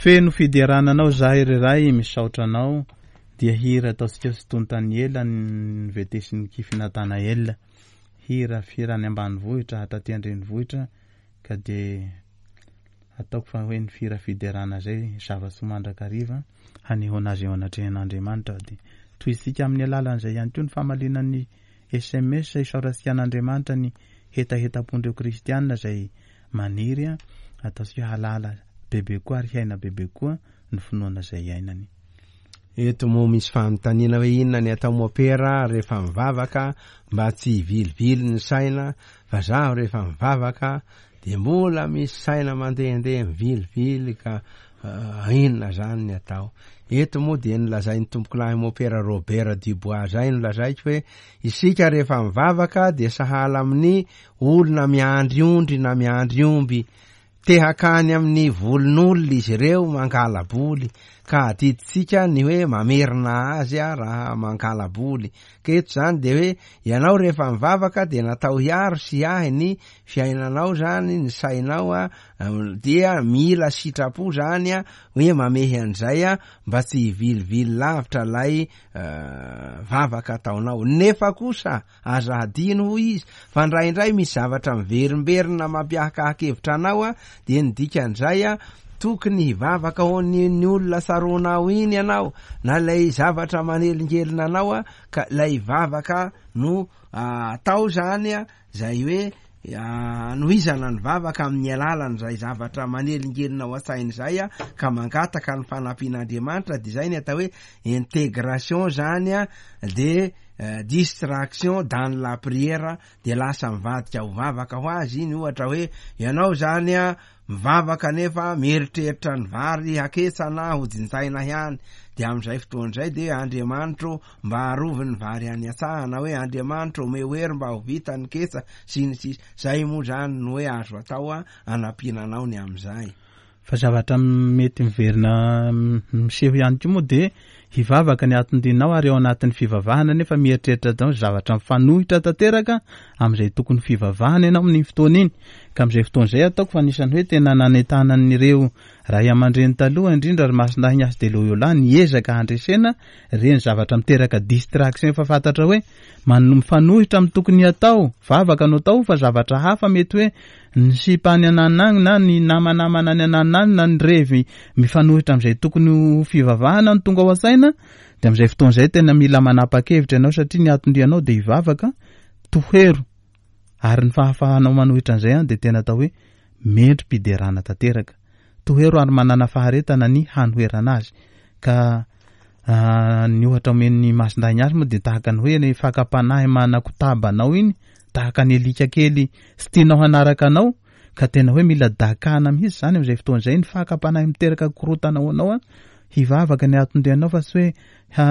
Speaker 1: Feno fiderana anao zahay ry Ray misaotra anao dia hira ataontsika sy tontan'ny ela ny vetesin'ny kify Nathanael hira fira any ambanivohitra hatraty an-drenivohitra ka dia ataoko fa hoe ny fira fiderana zay zava-tsoa mandrakariva hanehoana azy eo anatrehan'Andriamanitra dia tohizintsika amin'ny alalan'izay ihany koa ny famaliana ny sms isaorantsika an'Andriamanitra ny hetahetam-pon'ireo kristiana izay maniry ataontsika halala bebe koa ary hiaina bebe koa ny finoana izay iainany.
Speaker 3: Eto moa misy fanontaniana hoe inona ny atao mopera rehefa mivavaka mba tsy hivilivily ny saina fa zaho rehefa mivavaka. de mbola misy saina mandehandeha mivilivily ka inona zany ny atao. Eto moa dia nolazain'ny tompokolahy Mopera Robert Dubois zay no lazaiko hoe isika rehefa mivavaka dia sahala amin'ny olona miandry ondry na miandry omby. Te hakany amin'ny volon'olona izy ireo mangala-boly ka adidintsika ny hoe mamerina azy raha mangala-boly. Ka eto izany dia hoe ianao rehefa mivavaka dia natao hiaro sy hiahy ny fiainanao izany, ny sainao dia mila sitrapo izany hoe mamehy an'izay mba tsy hivilivily lavitra ilay vavaka ataonao. Nefa kosa Aza hadino hoy izy fa indraindray misy zavatra miverimberina mampiahakahakevitra anao a, dia ny dikan'izay a, tokony hivavaka ho an'iny olona tsaroanao iny ianao na ilay zavatra manelingelina anao a, ka ilay vavaka no atao zany a, zay hoe anohizana ny vavaka amin'ny alalan'izay zavatra manelingelina ao an-tsaina izay a, ka mangataka ny fanampian'Andriamanitra, dia izay ny atao hoe intégration zany a, de distraction dans la prière de lasa mivadika ho vavaka ho azy iny, ohatra hoe ianao zany a mivavaka nefa mieritreritra ny vary haketsa na ho jinjaina ihany, de am'izay fotoana izay de Andriamanitro mba arovy ny vary any an-tsaha na hoe Andriamanitro omeo hery mba ho vita ny ketsa sy ny sisa, zay moa zany no hoe azo atao anampiana anao ny am'izay.
Speaker 1: Fa zavatra mety miverina miseho ihany koa moa dia hivavaka ny aton-dinao ary ao anatin'ny fivavahana nefa mieritreritra daholo zavatra mifanohitra tanteraka amin'izay tokony fivavahana ianao amin'iny fotoana iny. Ka amin'izay fotoana izay ataoko fa anisan'ny hoe tena nanentanan'ireo ray aman-dreny taloha indrindra ry Masindahy Ignace de Loyola niezaka handresena ireny zavatra miteraka distraction efa fantatra hoe mifanohitra amin'ny tokony hatao, vavaka no atao fa zavatra hafa mety hoe Ny sipa any ananona agny na ny namanamana any ananona agny na ny revy mifanohitra amin'izay tokony ho fivavahana no tonga ao an-tsaina dia amin'izay fotoana izay tena mila manapa-kevitra ianao satria ny anton-dianao dia hivavaka, tohero ary ny fahafahanao manohitra an'izay an dia tena atao hoe mendri-piderana tanteraka. Tohero ary manana faharetana ny hanoherana azy ka ny ohatra omen'ny Masindahy Ignace moa dia tahaka ny hoe ny fakam-panahy manakotaba anao iny tahaka ny alika kely tsy tianao hanaraka anao ka tena hoe mila dakana mihitsy izany amin'izay fotoana izay ny fakam-panahy miteraka korontana ho anao hivavaka ny aton-dianao fa tsy hoe ha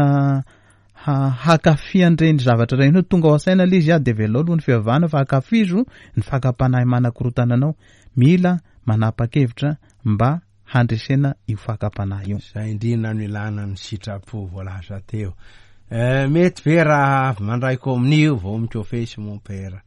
Speaker 1: ha hakafy an'ireny zavatra ireny hoe tonga ao an-tsaina ilay izy dia avelao aloha ny fivavahana fa akafizo ny fakam-panahy manakorontana anao mila manapa-kevitra mba handresena io fakam-panahy io.
Speaker 3: Izay indrindra no ilana ny sitrapo voalaza teo. Eh, mety ve raha avy mandray komonio vao mikofesy mon père?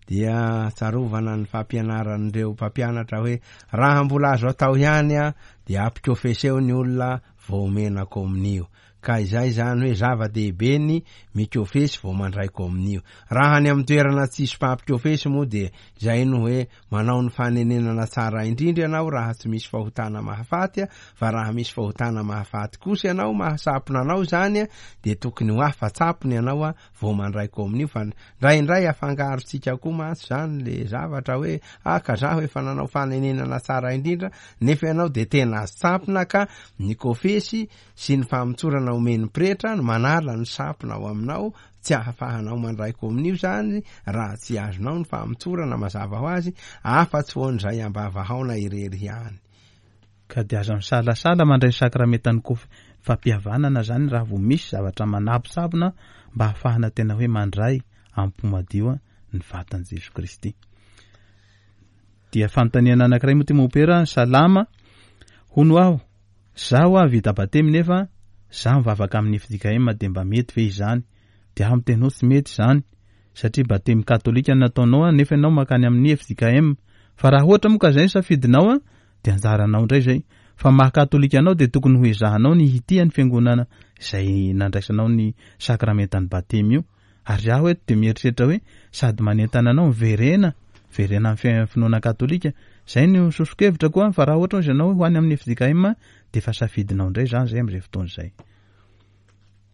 Speaker 3: Dia tsarovana ny fampianaran'ireo mpampianatra hoe raha mbola azo atao ihany dia ampikofeseo ny olona vao omena komonio. Ka izay izany hoe zava-dehibe ny mikofesy vao mandray komonio. Raha any amin'ny toerana tsisy mpampikofesy moa dia izay no hoe manao ny fanenenana tsara indrindra ianao raha tsy misy fahotana mahafaty, fa raha misy fahotana mahafaty kosa ianao mahasapona anao izany dia tokony ho afa-tsapona ianao vao mandray komonio fa ndraindray afangarontsika koa mantsy izany le zavatra hoe ah ka zaho efa nanao fanenenana tsara indrindra nefa ianao dia tena azo tsampona ka ny kofesy sy ny famotsorana omen'ny pretra no manala ny sampona ao aminao, tsy ahafahanao mandray komonio izany raha tsy azonao ny famotsorana mazava ho azy, afa-tsy ho an'izay ambavahaona irery ihany.
Speaker 1: Ka dia aza misalasala mandray ny sakramentan'ny kof fampihavanana izany raha vao misy zavatra manabosabona mba hahafahana tena hoe mandray am-po madio ny vatan'i Jesoa Kristy. Dia fanontaniana anankiray moa ity mompera, salama, hono aho, Za hoa vita batemy nefa za mivavaka amin'ny fjkm de mba mety ve izany? De aho miteny hoe tsy mety izany satria batemy katolika no nataonao an nefa ianao makany amin'ny fjkm fa raha ohatra moa ka zay ny safidinao an de anjaranao indray zay fa maha katolika anao de tokony ho ezahanao ny hitia ny fiangonana izay nandraisanao ny sakramentan'ny batemy io Ary aho eto dia mieritreritra hoe sady manentana anao miverena, miverena amin'ny finoana katolika. Izay no soso-kevitra koa, fa raha ohatra hozy ianao ho any amin'ny fjkm dia efa safidinao indray izany izay amin'izay fotoana izay.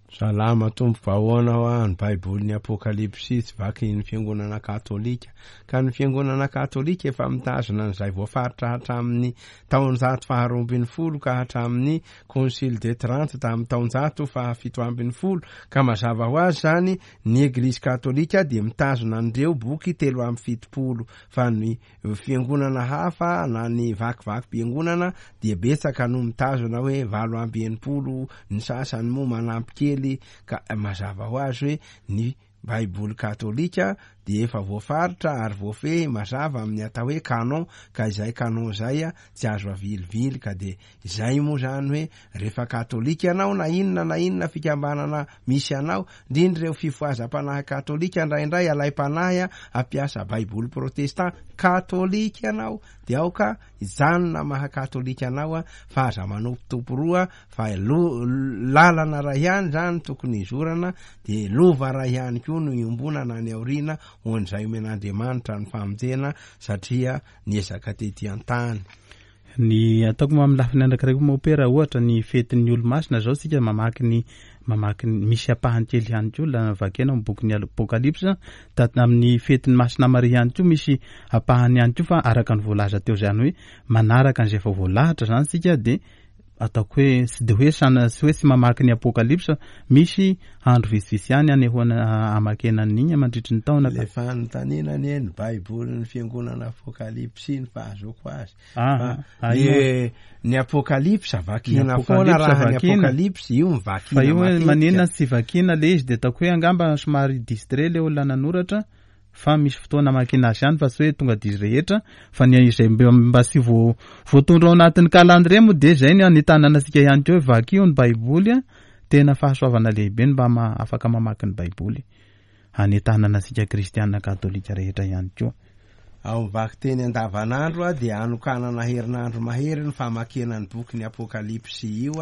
Speaker 3: Salama tompoko, ahoana hoa ny baibolin'ny apokalypsy tsy vakin'ny fiangonana katolika? Ka ny fiangonana katolika efa mitazona an'izay voafaritra hatramin'ny taonjato faha 12 ka hatramin'ny concile de Trente tamin'ny taonjato faha 17, ka mazava ho azy zany ny eglizy katolika dia mitazona an'ireo boky 73, fa ny fiangonana hafa na ny vakivakim-piangonana dia betsaka no mitazona hoe 68, ny sasany moa manampy kely, ka mazava ho azy hoe ny baiboly katolika dia efa voafaritra ary voafehy mazava amin'ny atao hoe canon, ka izay canon izay tsy azo avilivily, ka dia izay moa zany hoe rehefa katolika ianao na inona na inona fikambanana misy anao, indrindra ireo fifohazam-panahy katolika indraindray alaim-panahy hampiasa baiboly protestant, katolika ianao dia aoka hijanona maha katolika anao fa aza manompotompo roa, fa lalana ray ihany zany tokony hizorana, dia lova ray ihany koa no iombonana any aoriana ho an'izay omen'Andriamanitra ny famonjena satria niezaka tety an-tany.
Speaker 1: Ny ataoko moa amin'ny lafiny anankiray koa mopera, ohatra ny fetin'ny olo-masina zao tsika mamaky ny mamaky ny misy ampahany kely ihany koa la vakiana amin'ny bokin'ny Apokalypsa, da amin'ny fetin'ny Masina Maria ihany koa misy ampahany ihany koa, fa araka ny voalaza teo izany hoe manaraka an'izay efa voalahatra zany tsika, dia ataoko hoe tsy de hoe sana tsy hoe tsy mamaky ny Apokalypsa, misy andro vitsivitsy ihany anehoana amakena an'igny mandritry ny taona.
Speaker 3: Le fanontaniana anie ny baibolin'ny fiangonana Apokalypsy ny fahazoako azy. Fa ny Apokalypsa vakina foana raha ny Apokalypsy io
Speaker 1: mivakina. Fa io hoe maninona tsy vakina le izy, de ataoko hoe angamba somary distrait le olona nanoratra, fa misy fotoana amakiana azy ihany fa tsy hoe tonga dia izy rehetra, fa ny izay mba tsy voatondro ao anatin'ny calendrier moa dia izay ny anentanana antsika ihany koa hoe vakio ny baiboly a, tena fahasoavana lehibe ny mba afaka mamaky ny baiboly, anentanana antsika kristiana katolika rehetra ihany koa.
Speaker 3: Ao amin'ny vakiteny andavanandro dia anokanana herinandro mahery ny famakiana ny bokin'ny Apokalypsy io,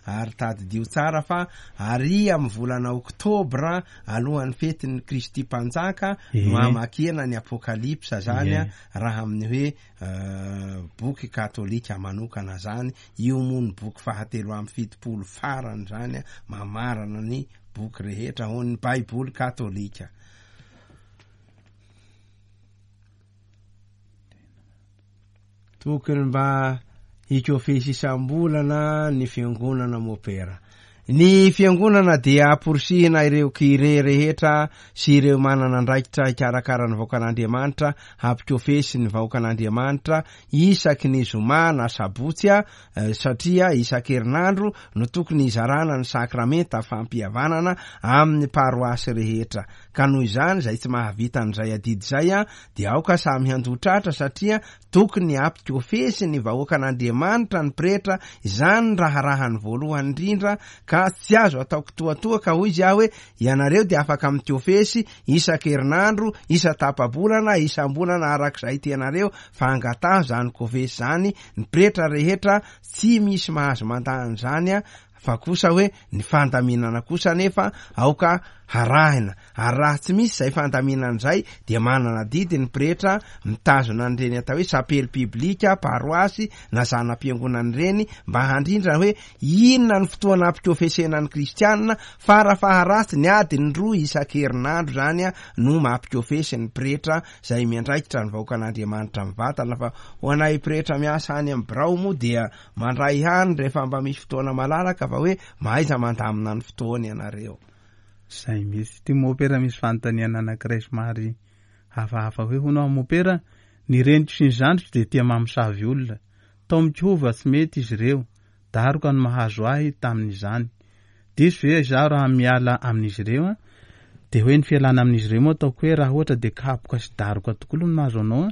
Speaker 3: ary tadidio tsara fa ary amin'ny volana oktobra alohan'ny fetin'ny Kristy Mpanjaka no hamakiana ny Apokalypsa zany, raha amin'ny hoe boky katolika manokana zany. Io moa ny boky faha-73 farany zany, mamarana ny boky rehetra ao ny Baiboly katolika. Tokony mba hikofesy isam-bolana ny fiangonana mopera. Ny fiangonana dia amporisihina ireo kire rehetra sy ireo manana andraikitra hikarakara ny vahoakan'Andriamanitra hampikofesy ny vahoakan'Andriamanitra isaky ny zoma na sabotsy satria isan-kerinandro no tokony hizarana ny sakramenta fampihavanana amin'ny paroasy rehetra. Ka noho izany izay tsy mahavita an'izay adidy izay dia aoka samy handoa tratra satria tokony hampikofesy ny vahoakan'Andriamanitra ny pretra, izany ny raharahany voalohany indrindra ka tsy azo atao kitoatoa ka hoy izy aho hoe ianareo dia afaka mikofesy isan-kerinandro, isan-tapa-bolana, isam-bolana arak'izay tianareo fa angataho izany kofesy izany ny pretra rehetra tsy misy mahazo mandà an'izany fa kosa hoe ny fandaminana kosa anefa aoka harahina, ary raha tsy misy izay fandaminana izay dia manana adidy ny pretra mitazona an'ireny atao hoe sapely piblika, paroasy na zana-piangonana ireny mba handrindra hoe inona ny fotoana ampikofesena ny kristianina, fara faharatsiny adiny 2 isan-kerinandro izany no mampikofesy ny pretra izay miandraikitra ny vahoakan'Andriamanitra mivantana, fa ho anay pretra miasa any amin'ny birao moa dia Mandray ihany rehefa mba misy fotoana malalaka fa hoe mahaiza mandamina ny fotoana ianareo.
Speaker 1: Zay mihitsy. Ity mopera misy fanontaniana anankiray somary hafahafa hoe hono aho mopera, ny reniko sy ny zandriko dia tia mamosavy olona. Taomiko hova tsy mety izy ireo. Daroka no mahazo ahy tamin'izany. Diso ve izaho raha miala amin'izy ireo an? Dia hoe ny fialana amin'izy ireo moa ataoko hoe raha ohatra dia kapoka sy daroka tokoa aloha no mahazo anao an,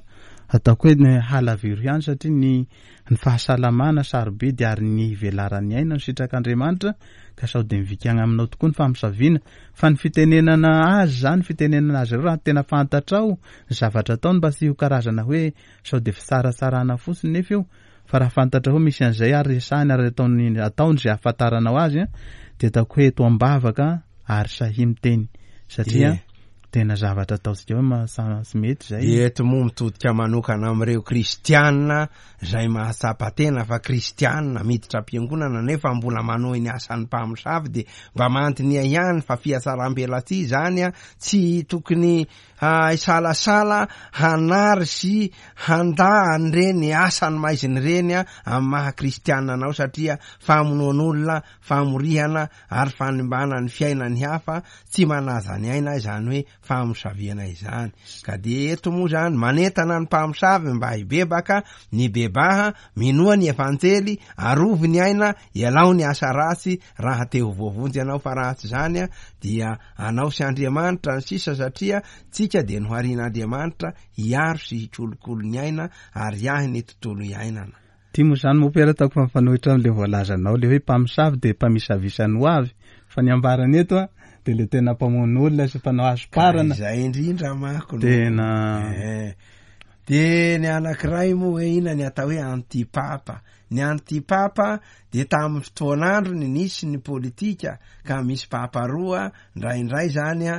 Speaker 1: ataoko hoe halaviro ihany satria ny ny fahasalamana sarobidy ary ny hivelaran'ny aina no sitrak'Andriamanitra ka sao dia mivikagna aminao tokoa ny famosaviana fa ny fitenenana azy izany, fitenenana azy ireo raha tena fantatrao ny zavatra ataony mba tsy ho karazana hoe sao dia fitsaratsarana fotsiny nefa io Fa raha fantatrao hoe misy an'izay ary resahiny ary ataony ataony izay ahafantaranao azy dia ataoko hoe eto am-bavaka ary sahia miteny satria
Speaker 3: Ie.
Speaker 1: Tena zavatra ataontsika hoe ma- tsy mety izay.
Speaker 3: Dia eto moa mitodika manokana amin'ireo kristiana izay mahatsapa tena fa kristiana miditra am-piangonana nefa mbola manohy ny asan'ny mpamosavy dia mba mandiniha ihany fa fihatsaram-belatsihy izany a, tsy tokony hisalasala hanary sy handà an'ireny asan'ny maizina ireny amin'ny maha kristiana anao satria famonoan'olona, famorihana ary fanimbana ny fiainan'ny hafa tsy manaja ny aina izany hoe famosaviana izany. Ka dia eto moa izany manentana ny mpamosavy mba hibebaka, mibebaha, minoa ny Evanjely, arovy ny aina, ialao ny asa ratsy raha te ho voavonjy ianao fa raha tsy izany dia anao sy Andriamanitra ny sisa satria tsika dia noharian'Andriamanitra hiaro sy hikolokolo ny aina ary hiahy ny tontolo iainana.
Speaker 1: Ty moa zany mopera ataoko fa mifanohitra amle voalazanao le hoe mpamosavy de mpamisavisa ny ho avy fa ny ambarany eto a de le tena mpamono olona sy mpanao hasoparana.
Speaker 3: Ka izay indrindra manko no
Speaker 1: Tena.
Speaker 3: Eh. De ny anankiray moa hoe inona ny atao hoe antipapa. Ny antipapa de tamin'ny fotoan'androny nisy ny politika ka misy papa roa indraindray zany a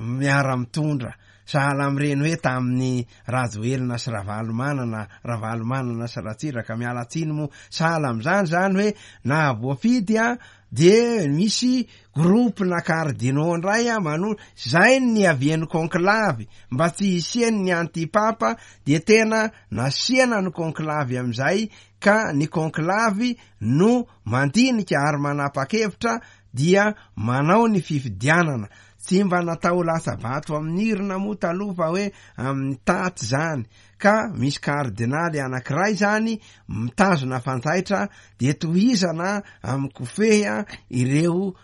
Speaker 3: miara-mitondra. Sahala amin'ireny hoe tamin'ny Rajoelina sy Ravalomanana, Ravalomanana sy Ratsiraka, miala tsiny moa, sahala amin'izany izany hoe na voafidy an, dia misy groupe na cardinaux indray an mano, izay ny niavian'ny conclave, mba tsy hisian'ny anti-papa dia tena nasiana ny conclave amin'izay ka ny conclave no mandinika ary manapa-kevitra dia manao ny fifidianana, Tsy mba natao latsa-bato amin'ny irona moa taloha fa hoe amin'ny taty izany, ka misy kardinaly anankiray izany mitazona fanjaitra dia tohizana amin'ny kofehy ireo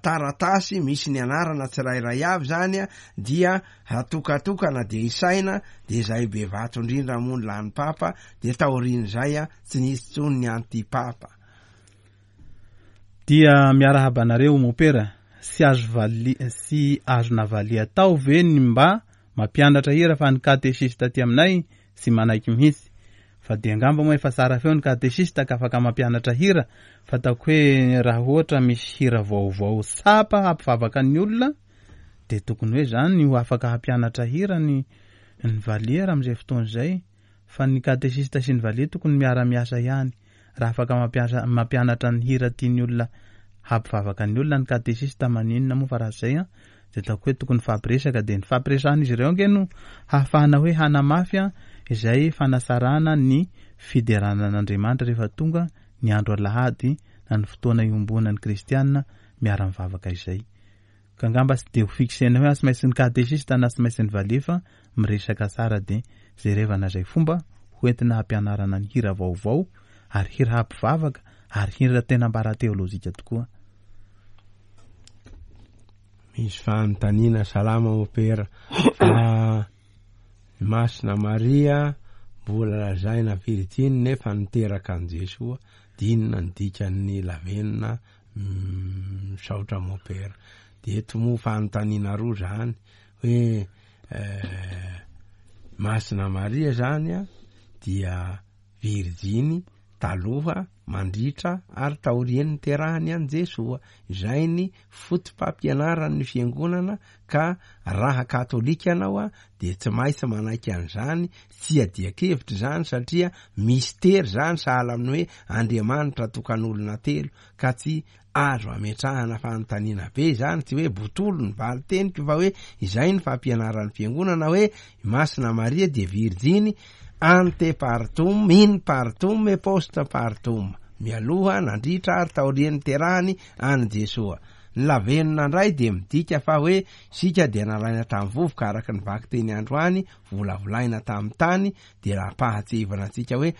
Speaker 3: taratasy misy ny anarana tsirairay avy izany dia hatokatokana dia isaina dia izay be vato indrindra moa ny lany papa dia taorian'izay tsy nisy intsony ny anti-papa.
Speaker 1: Dia miarahaba anareo mopera, sy azo vali sy azo navalia tao ve ny mba mampianatra hira fa ny katesista aty aminay tsy manaiky mihitsy fa dia angamba moa efa tsara feo ny katesista ka afaka mampianatra hira fa ataoko hoe raha ohatra misy hira vaovao tsapa hampivavaka ny olona dia tokony hoe zany ho afaka hampianatra hira ny ny valiera amin'izay fotoana izay fa ny katesista sy ny valiha tokony miara miasa ihany Raha afaka mampiasa mampianatra ny hira tian'ny olona hampivavaka ny olona ny katesista maninona moa fa raha zay an dia ataoko hoe tokony hifampiresaka dia ny fampiresahan'izy ireo ange no hahafahana hoe hanamafy an izay fanatsarana ny fiderana an'Andriamanitra rehefa tonga ny andro alahady na ny fotoana iombonan'ny kristiana miara-mivavaka izay. Ka angamba tsy dia ho fixena hoe tsy maintsy ny katesista na tsy maintsy ny valiha fa miresaka tsara dia jerevana izay fomba ho entina hampianarana ny hira vaovao ary hira hampivavaka ary hira tena ambara teolojika tokoa.
Speaker 3: Misy fanontaniana salama mopera fa i Masina Maria mbola lazaina virjiny nefa niteraka an'i Jesoa dia inona ny dikan'ny lavenona Misaotra Mopera. Dia eto moa fanontaniana roa zany hoe Masina Maria zany a dia virjiny taloha, mandritra ary taorian'ny niterahany an'i Jesoa. Izay ny foto-pampianaran'ny fiangonana ka raha katolika ianao a dia tsy maintsy manaiky an'izany, tsy iadian-kevitra izany satria mistery izany sahala amin'ny hoe Andriamanitra tokan'olona telo ka tsy azo ametrahana fanontaniana be izany, tsy hoe botolo ny valin-teniko fa hoe izay ny fampianaran'ny fiangonana hoe i Masina Maria dia virjiny ante partum, in partum et post partum, mialoha, nandritra ary taorian'ny niterahany an'i Jesoa. Ny lavenona indray dia midika fa hoe isika dia nalaina tamin'ny vovoka araka ny vakiteny androany, volavolaina tamin'ny tany, dia ampahatsiahivana antsika hoe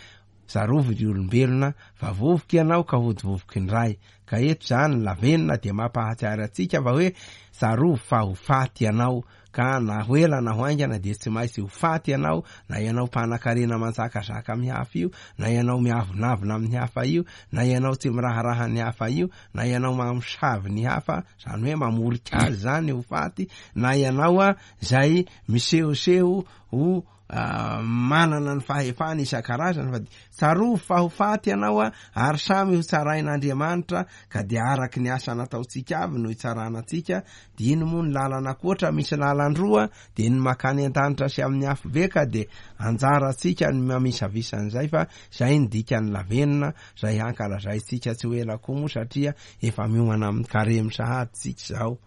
Speaker 3: tsarovy ry olombelona fa vovoka ianao ka hody vovoka indray. Ka eto izany ny lavenona dia mampahatsiary antsika fa hoe tsarovy fa ho faty ianao Ka na ho ela na ho haingana dia tsy maintsy ho faty ianao, na ianao mpanan-karena manjakazaka amin'ny hafa io, na ianao miavonavona amin'ny hafa io, na ianao tsy miraharaha ny hafa io, na ianao mamosavy ny hafa, izany hoe mamorika azy izany ho faty, na ianao izay misehoseho ho. manana ny fahefana isan-karazany fa dia tsarovy fa ho faty ianao a, ary samy ho tsarain'Andriamanitra ka dia araky ny asa nataontsika avy no hitsarana antsika, dia ino moa ny lalana ankoatra, misy lalan-droa dia ny makany an-danitra sy amin'ny afobe ka dia anjarantsika ny mamisavisa an'izay fa izay ny dikan'ny lavenona izay hankalazaintsika tsy ho ela koa moa satria efa miomana amin'ny karemy sahady tsika izao.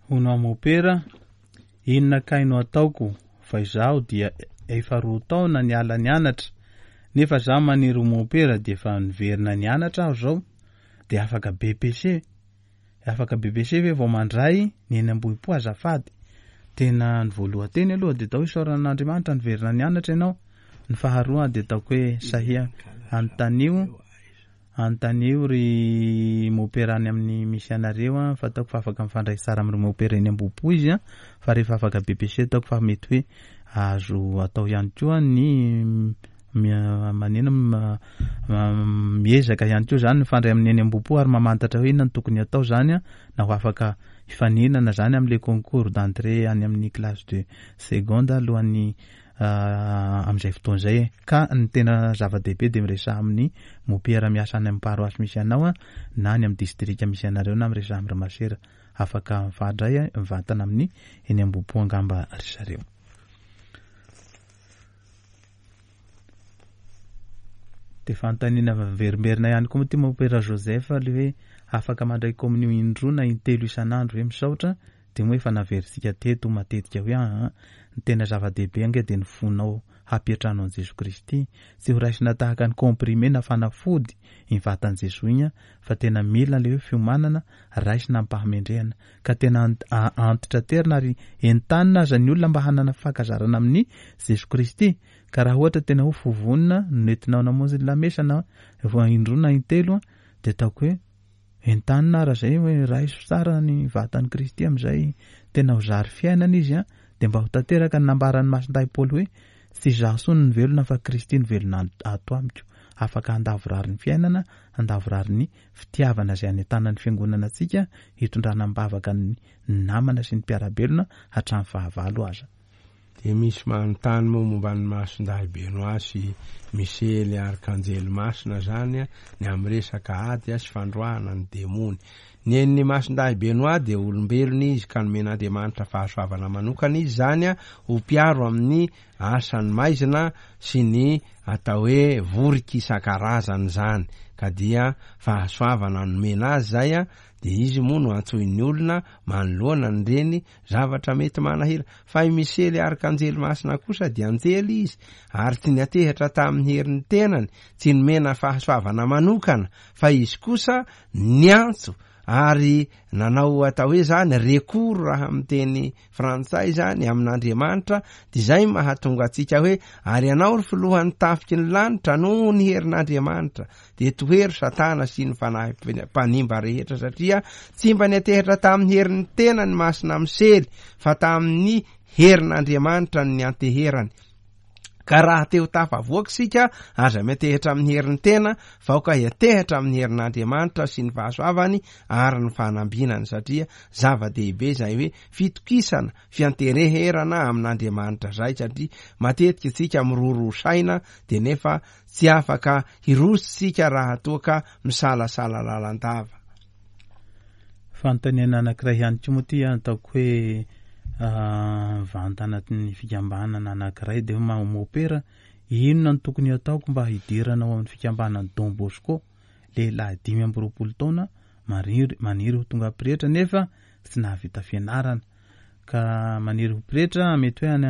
Speaker 1: Hono aho mopera, inona kay no ataoko fa izaho dia efa roa taona niala nianatra nefa zaho maniry ho mopera dia efa niverina nianatra aho zao dia afaka BEPC afaka BEPC ve vao mandray ny eny Ambohipo azafady tena ny voalohan-teny aloha dia atao hoe isaorana an'Andriamanitra niverina nianatra ianao ny faharoa dia ataoko hoe sahia anontanio Anontanio ry mopera any amin'ny misy anareo an, fa ataoko fa afaka mifandray tsara amin'ireo mopera eny Ambohipo izy an, fa rehefa afaka BPC ataoko fa mety hoe azo atao ihany koa ny maneno miezaka ihany koa zany mifandray amin'ny eny Ambohipo ary mamantatra hoe inona no tokony atao zany an, na ho afaka hifaninana zany amin'ilay concours d'entrée any amin'ny classe de seconde alohan'ny amin'izay fotoana izay e. Ka ny tena zava-dehibe dia miresaha amin'ny mopera miasa any amin'ny paroasy misy anao na any amin'ny distrika misy anareo na miresaha amin'ireo masera. Afaka mifandray mivantana amin'ny eny Ambohipo angamba ry zareo. Dia fanontaniana miverimberina ihany koa moa ity mopera Joseph ilay hoe afaka mandray komonio indroa na intelo isan'andro ve misaotra Dia moa efa naverintsika teto matetika hoe aa ny tena zava-dehibe ange dia ny fonao hampiantrano an'i Jesoa Kristy. Tsy ho raisina tahaka ny comprimé na fanafody iny vatan'i Jesoa iny fa tena mila ilay hoe fiomanana raisina amim-pahamendrehana. Ka tena antitraterina ary entanina aza ny olona mba hanana fankazarana amin'i Jesoa Kristy. Ka raha ohatra tena hoe fo vonona no nentinao namonjy ny lamesa na indroa na intelo dia ataoko hoe Entanina ara zay hoe raiso tsara ny vatan'i Kristy amin'izay tena ho zary fiainana izy an, dia mba ho tanteraka ny nambaran'i Masindahy Paoly hoe tsy izaho intsony no velona fa Kristy no velona ato amiko. Afaka handavorary ny fiainana, handavorary ny fitiavana izay anentanan'ny Fiangonana antsika hitondrana am-bavaka ny namana sy ny mpiara-belona hatramin'ny fahavalo aza.
Speaker 3: Dia misy manontany moa momba an'i Masindahy Benoît sy Misely Arkanjely Masina zany ny amin'ny resaka ady sy fandroahana ny demony. Ny an'i Masindahy Benoît dia olombelona izy ka nomen'Andriamanitra fahasoavana manokana izy zany ho mpiaro amin'ny asan'ny maizina sy ny atao hoe voriky isan-karazany zany ka dia fahasoavana nomena azy zay dia izy moa no antsoin'ny olona manoloana an'ireny Zavatra mety manahira. Fa i Misely arkanjely masina kosa dia anjely izy, ary tsy niantehitra tamin'ny herin'ny tenany, tsy nomena fahasoavana manokana, fa izy kosa niantso ary nanao atao hoe zany recours raha amin'ny teny frantsay zany amin'Andriamanitra, dia izay mahatonga antsika hoe ary ianao ry filohan'ny tafiky ny lanitra noho ny herin'Andriamanitra dia tohero Satana sy ny fanahy mpanimba rehetra satria tsy mba niantehitra tamin'ny herin'ny tenany Masina Misely fa tamin'ny herin'Andriamanitra no nianteherany. Ka raha te ho tafavoaka isika, aza miantehitra amin'ny herin'ny tena, fa aoka hiantehitra amin'ny herin'Andriamanitra sy ny fahasoavany ary ny fanambinany, satria zava-dehibe izay hoe fitokisana, fiantereherana amin'Andriamanitra izay, satria matetika isika miroroa saina dia nefa Tsy afaka hiroso isika raha toa ka misalasala lalandava.
Speaker 1: Fanontaniana anankiray ihany koa moa ity ataoko hoe mivantana anatin'ny fikambanana anankiray dia hoe mopera, inona no tokony hataoko mba hidirana ao amin'ny fikambanan'i Don Bosco? Lehilahy 25 taona maniry maniry ho tonga pretra nefa tsy nahavita fianarana. Ka maniry ho pretra mety hoe any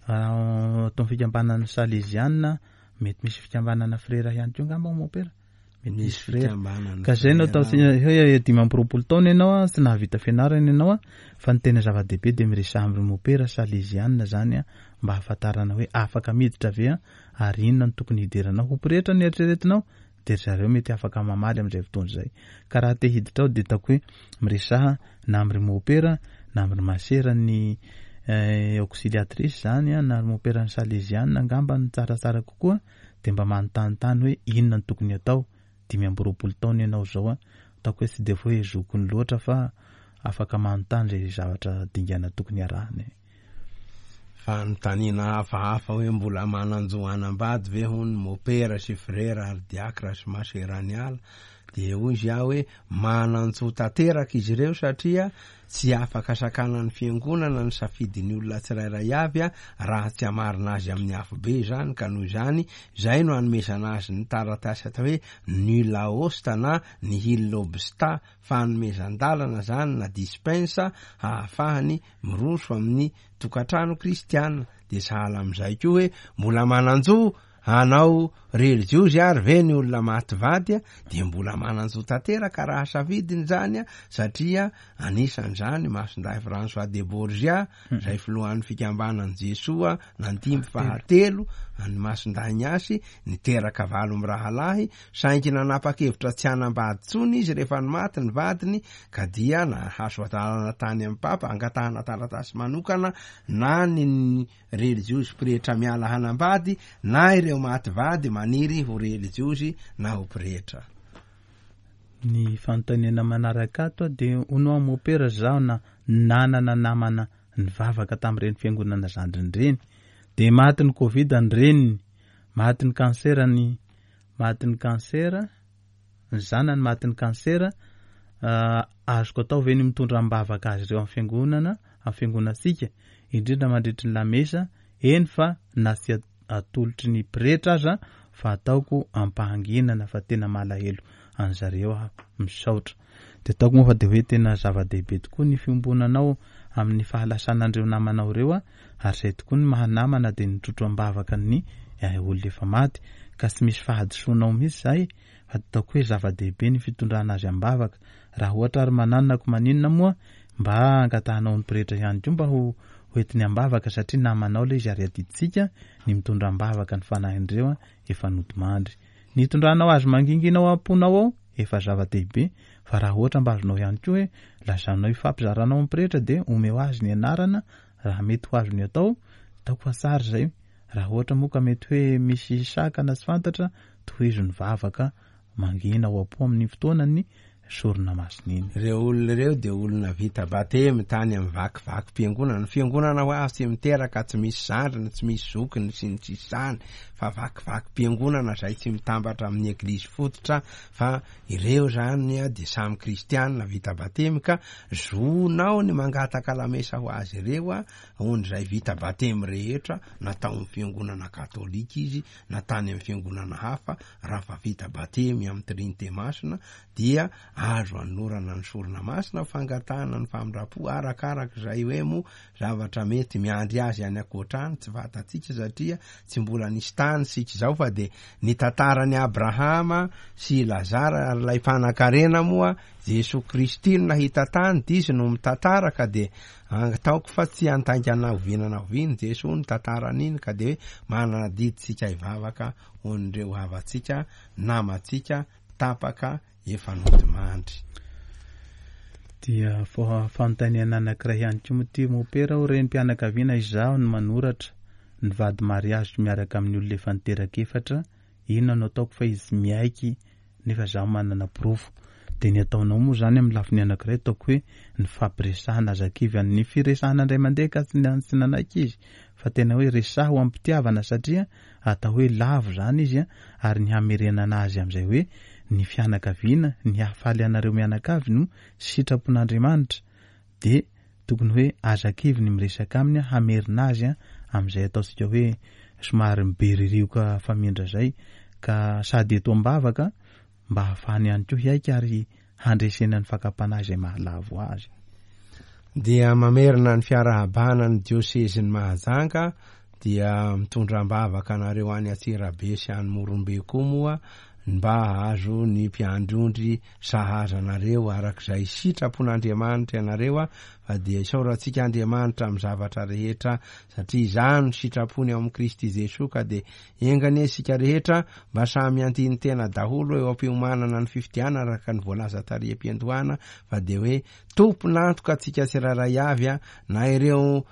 Speaker 1: atao fikambanana saleziana, mety misy fikambanana frera ihany koa angamba ao mopera. Mety misy frera. Ka zay no atao hoe 25 taona ianao tsy nahavita fianarana ianao fa ny tena zava-dehibe dia miresaha amin'ireo mopera saleziana zany mba hahafantarana hoe afaka miditra ve ary inona no tokony hidiranao ho pretra ny eritreretinao dia ry zareo mety afaka mamaly amin'izay fotoana izay. Ka raha te hiditra ao dia ataoko hoe miresaha na amin'ry mopera na amin'ry masera ny auxiliatrice izany na ry mopera ny saleziana angamba no tsaratsara kokoa dia mba manontanintany hoe inona no tokony atao, 25 taona ianao izao an, ataoko hoe tsy dia hoe zokiny loatra fa afaka manontany izay zavatra dingana tokony arahina e.
Speaker 3: Fanontaniana hafahafa hoe mbola manan-jo hanambady ve hono ny mopera sy frera ary diakra sy masera any ala? Dia hoy izy aho hoe manan-jo tanteraka izy ireo satria tsy afaka sakanan'ny fiangonana ny safidin'ny olona tsirairay avy raha tsy hamarina azy amin'ny afobe izany ka noho izany izay no hanomezana azy ny taratasy atao hoe nulla osta na nihil obsta fanomezan-dalana izany na dispensa hahafahany miroso amin'ny tokantrano kristiana dia sahala amin'izay koa hoe mbola manan-jo hanao relijiozy ary ve ny olona maty vady dia mbola manan-jo tanteraka raha safidiny izany satria anisan'izany Masindahy François de Borgia izay filohan'ny fikambanan'i Jesoa nandimby fahatelo an'i Masindahy Ignace niteraka valo mirahalahy saingy nanapa-kevitra tsy hanambady intsony izy rehefa nimaty ny vadiny ka dia nahazo adalana tany amin'ny Papa angatahana taratasy manokana na ny relijiozy pretra miala hanambady na ireo maty vady maniry ho relijiozy na ho pretra.
Speaker 1: Ny fanontaniana manaraka ato dia hono aho mopera zaho na nanana namana nivavaka tamin'ireny fiangonana zandriny ireny dia matin'ny covid ny reniny, matin'ny cancer ny matin'ny cancer ny zanany matin'ny cancer azoko atao ve ny mitondra am-bavaka azy ireo amin'ny fiangonana amin'ny fiangonantsika indrindra mandritry ny lamesa eny fa na tsy atolotry ny pretra aza fa ataoko am-pahanginana fa tena malahelo an'zareo aho misaotra dia ataoko moa fa dia hoe tena zava-dehibe tokoa ny fiombonanao amin'ny fahalasanan'ireo namanao ireo ary izay tokoa ny maha namana dia nitrotro am-bavaka ny olona efa maty ka tsy misy fahadisoanao mihitsy izay fa ataoko hoe zava-dehibe ny fitondrana azy am-bavaka raha ohatra ary mananona ko maninona moa mba angatahanao ny pretra ihany koa mba ho hoentiny am-bavaka satria namanao ilay izy ary adidintsika ny mitondra am-bavaka ny fanahin'ireo efa nodimandry ny hitondranao azy mangingina ao am-ponao ao efa zava-dehibe fa raha ohatra mba azonao ihany koa hoe lazanao hifampizaranao amin'ny pretra dia omeo azy ny anarana raha mety ho azony atao, ataoko fa tsara izay, raha ohatra moa ka mety hoe misy sakana tsy fantatra, tohizo ny vavaka mangina ao am-po amin'iny fotoanan'ny sorona masina iny.
Speaker 3: Ireo olona ireo dia olona vita batemy tany amin'ny vakivakim-piangonana. Ny fiangonana ho azy tsy miteraka, tsy misy zandriny, tsy misy zokiny sy ny sisa izany, fa vakivakim-piangonana izay tsy mitambatra amin'ny eglizy fototra fa Ireo izany dia samy kristianina vita batemy ka zonao ny mangataka lamesa ho azy ireo hoan'izay vita batemy rehetra na tao amin'ny fiangonana katolika izy na tany amin'ny fiangonana hafa raha fa vita batemy amin'ny trinite masina dia azo anolorana ny sorona masina ho fangatahana ny famindram-po arakaraka izay hoe moa zavatra mety miandry azy any ankoatra any tsy fantatsika satria tsy mbola nisy tany isika izao fa dia ny tantaran'i Abrahama sy i Lazara ary ilay mpanan-karena moa Jesoa Kristy no nahita tany dia izy no mitantara ka dia ataoko fa tsy handaingana oviana na oviana Jesoa ny tantaran'iny ka dia hoe manana adidy isika hivavaka ho an'ireo havantsika namantsika tapaka efa nodimandry.
Speaker 1: Dia fanontaniana anankiray ihany koa moa ity mopera aho renim-pianakaviana izaho no manoratra ny vady mariaziko miaraka amin'ny olona efa niteraka efatra inona no ataoko fa izy miaiky nefa izaho manana porofo dia ny ataonao moa izany amin'ny lafiny anankiray ataoko hoe ny fampiresahana aza kivy an'ny firesahana indray mandeha ka tsy tsy nanaiky izy fa tena hoe resaho am-pitiavana satria atao hoe lavo izany izy ary ny hamerenana azy amin'izay hoe ny fianakaviana, ny hahafaly anareo mianakavy no sitrapon'Andriamanitra dia tokony hoe aza kivy ny miresaka aminy hamerina azy amin'izay ataontsika hoe somary miberirioka famindra izay ka sady eto am-bavaka mba hahafahany ihany koa hiaiky ary handresena ny fakam-panahy izay mahalavo azy.
Speaker 3: Dia mamerina ny fiarahabana ny diosezin'i Mahajanga dia mitondra am-bavaka anareo any Antsirabe sy any Morombe koa moa mba hahazo ny mpiandry ondry sahaza anareo araka izay sitrapon'Andriamanitra ianareo fa dia isaorantsika Andriamanitra amin'ny zavatra rehetra satria izany no sitrapony ao amin'i Kristy Jesoa ka dia Enga anie isika rehetra mba samy handini-tena daholo eo am-piomanana ny fifidianana araka ny voalaza tary am-piandohana fa dia hoe tompon'antoka antsika tsirairay avy na ireo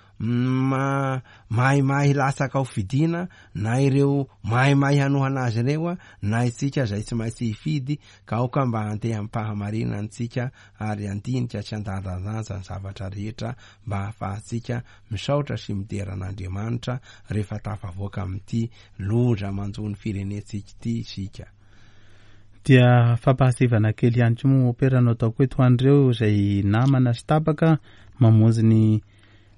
Speaker 3: mahimahy latsaka ho fidiana na ireo mahimahy hanohana azy ireo na isika izay tsy maintsy hifidy ka aoka mba handeha amim-pahamarinana antsika ary handinika sy handanjalanja ny zavatra. zavatra rehetra mba hahafahantsika misaotra sy midera an'Andriamanitra rehefa tafavoaka amin'ity loza manjo ny firenentsika ity isika.
Speaker 1: Dia fampahasivana kely ihany koa moa Mopera no ataoko eto ho an'ireo izay namana sy tapaka mamonjy ny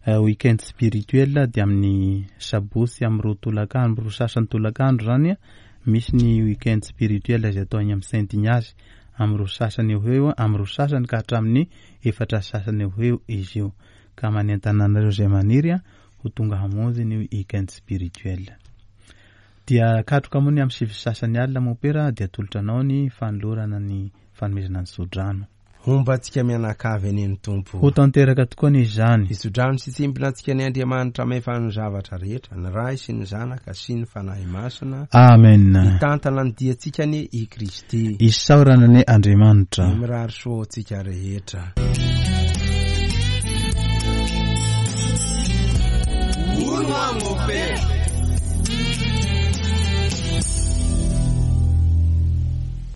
Speaker 1: week-end spirituel dia amin'ny sabotsy amin'ny roa tolakandro, roa sasany tolakandro izany misy ny week-end spirituel izay atao any amin'ny Saint Ignace amin'ny roa sasany eo ho eo, amin'ny roa sasany ka hatramin'ny efatra sasany eo ho eo izy io. Ka manentana anareo izay maniry ho tonga hamonjy ny week-end spirituel. Dia katroka moa ny amin'ny sivy sy sasany alina mompera dia atolotra anao ny fanolorana ny fanomezana ny tsodrano.
Speaker 3: Homba antsika mianakavy anie ny Tompo.
Speaker 1: Ho tanteraka tokoa anie izany.
Speaker 3: Hitsodrano sy hitsimbina antsika anie Andriamanitra mahefa ny zavatra rehetra, ny Ray sy ny Zanaka sy ny Fanahy Masina.
Speaker 1: Amen.
Speaker 3: Hitantana ny diantsika anie i Kristy.
Speaker 1: Isaorana anie Andriamanitra.
Speaker 3: Dia mirary soa ho antsika rehetra.
Speaker 4: Hono hoa Mopera.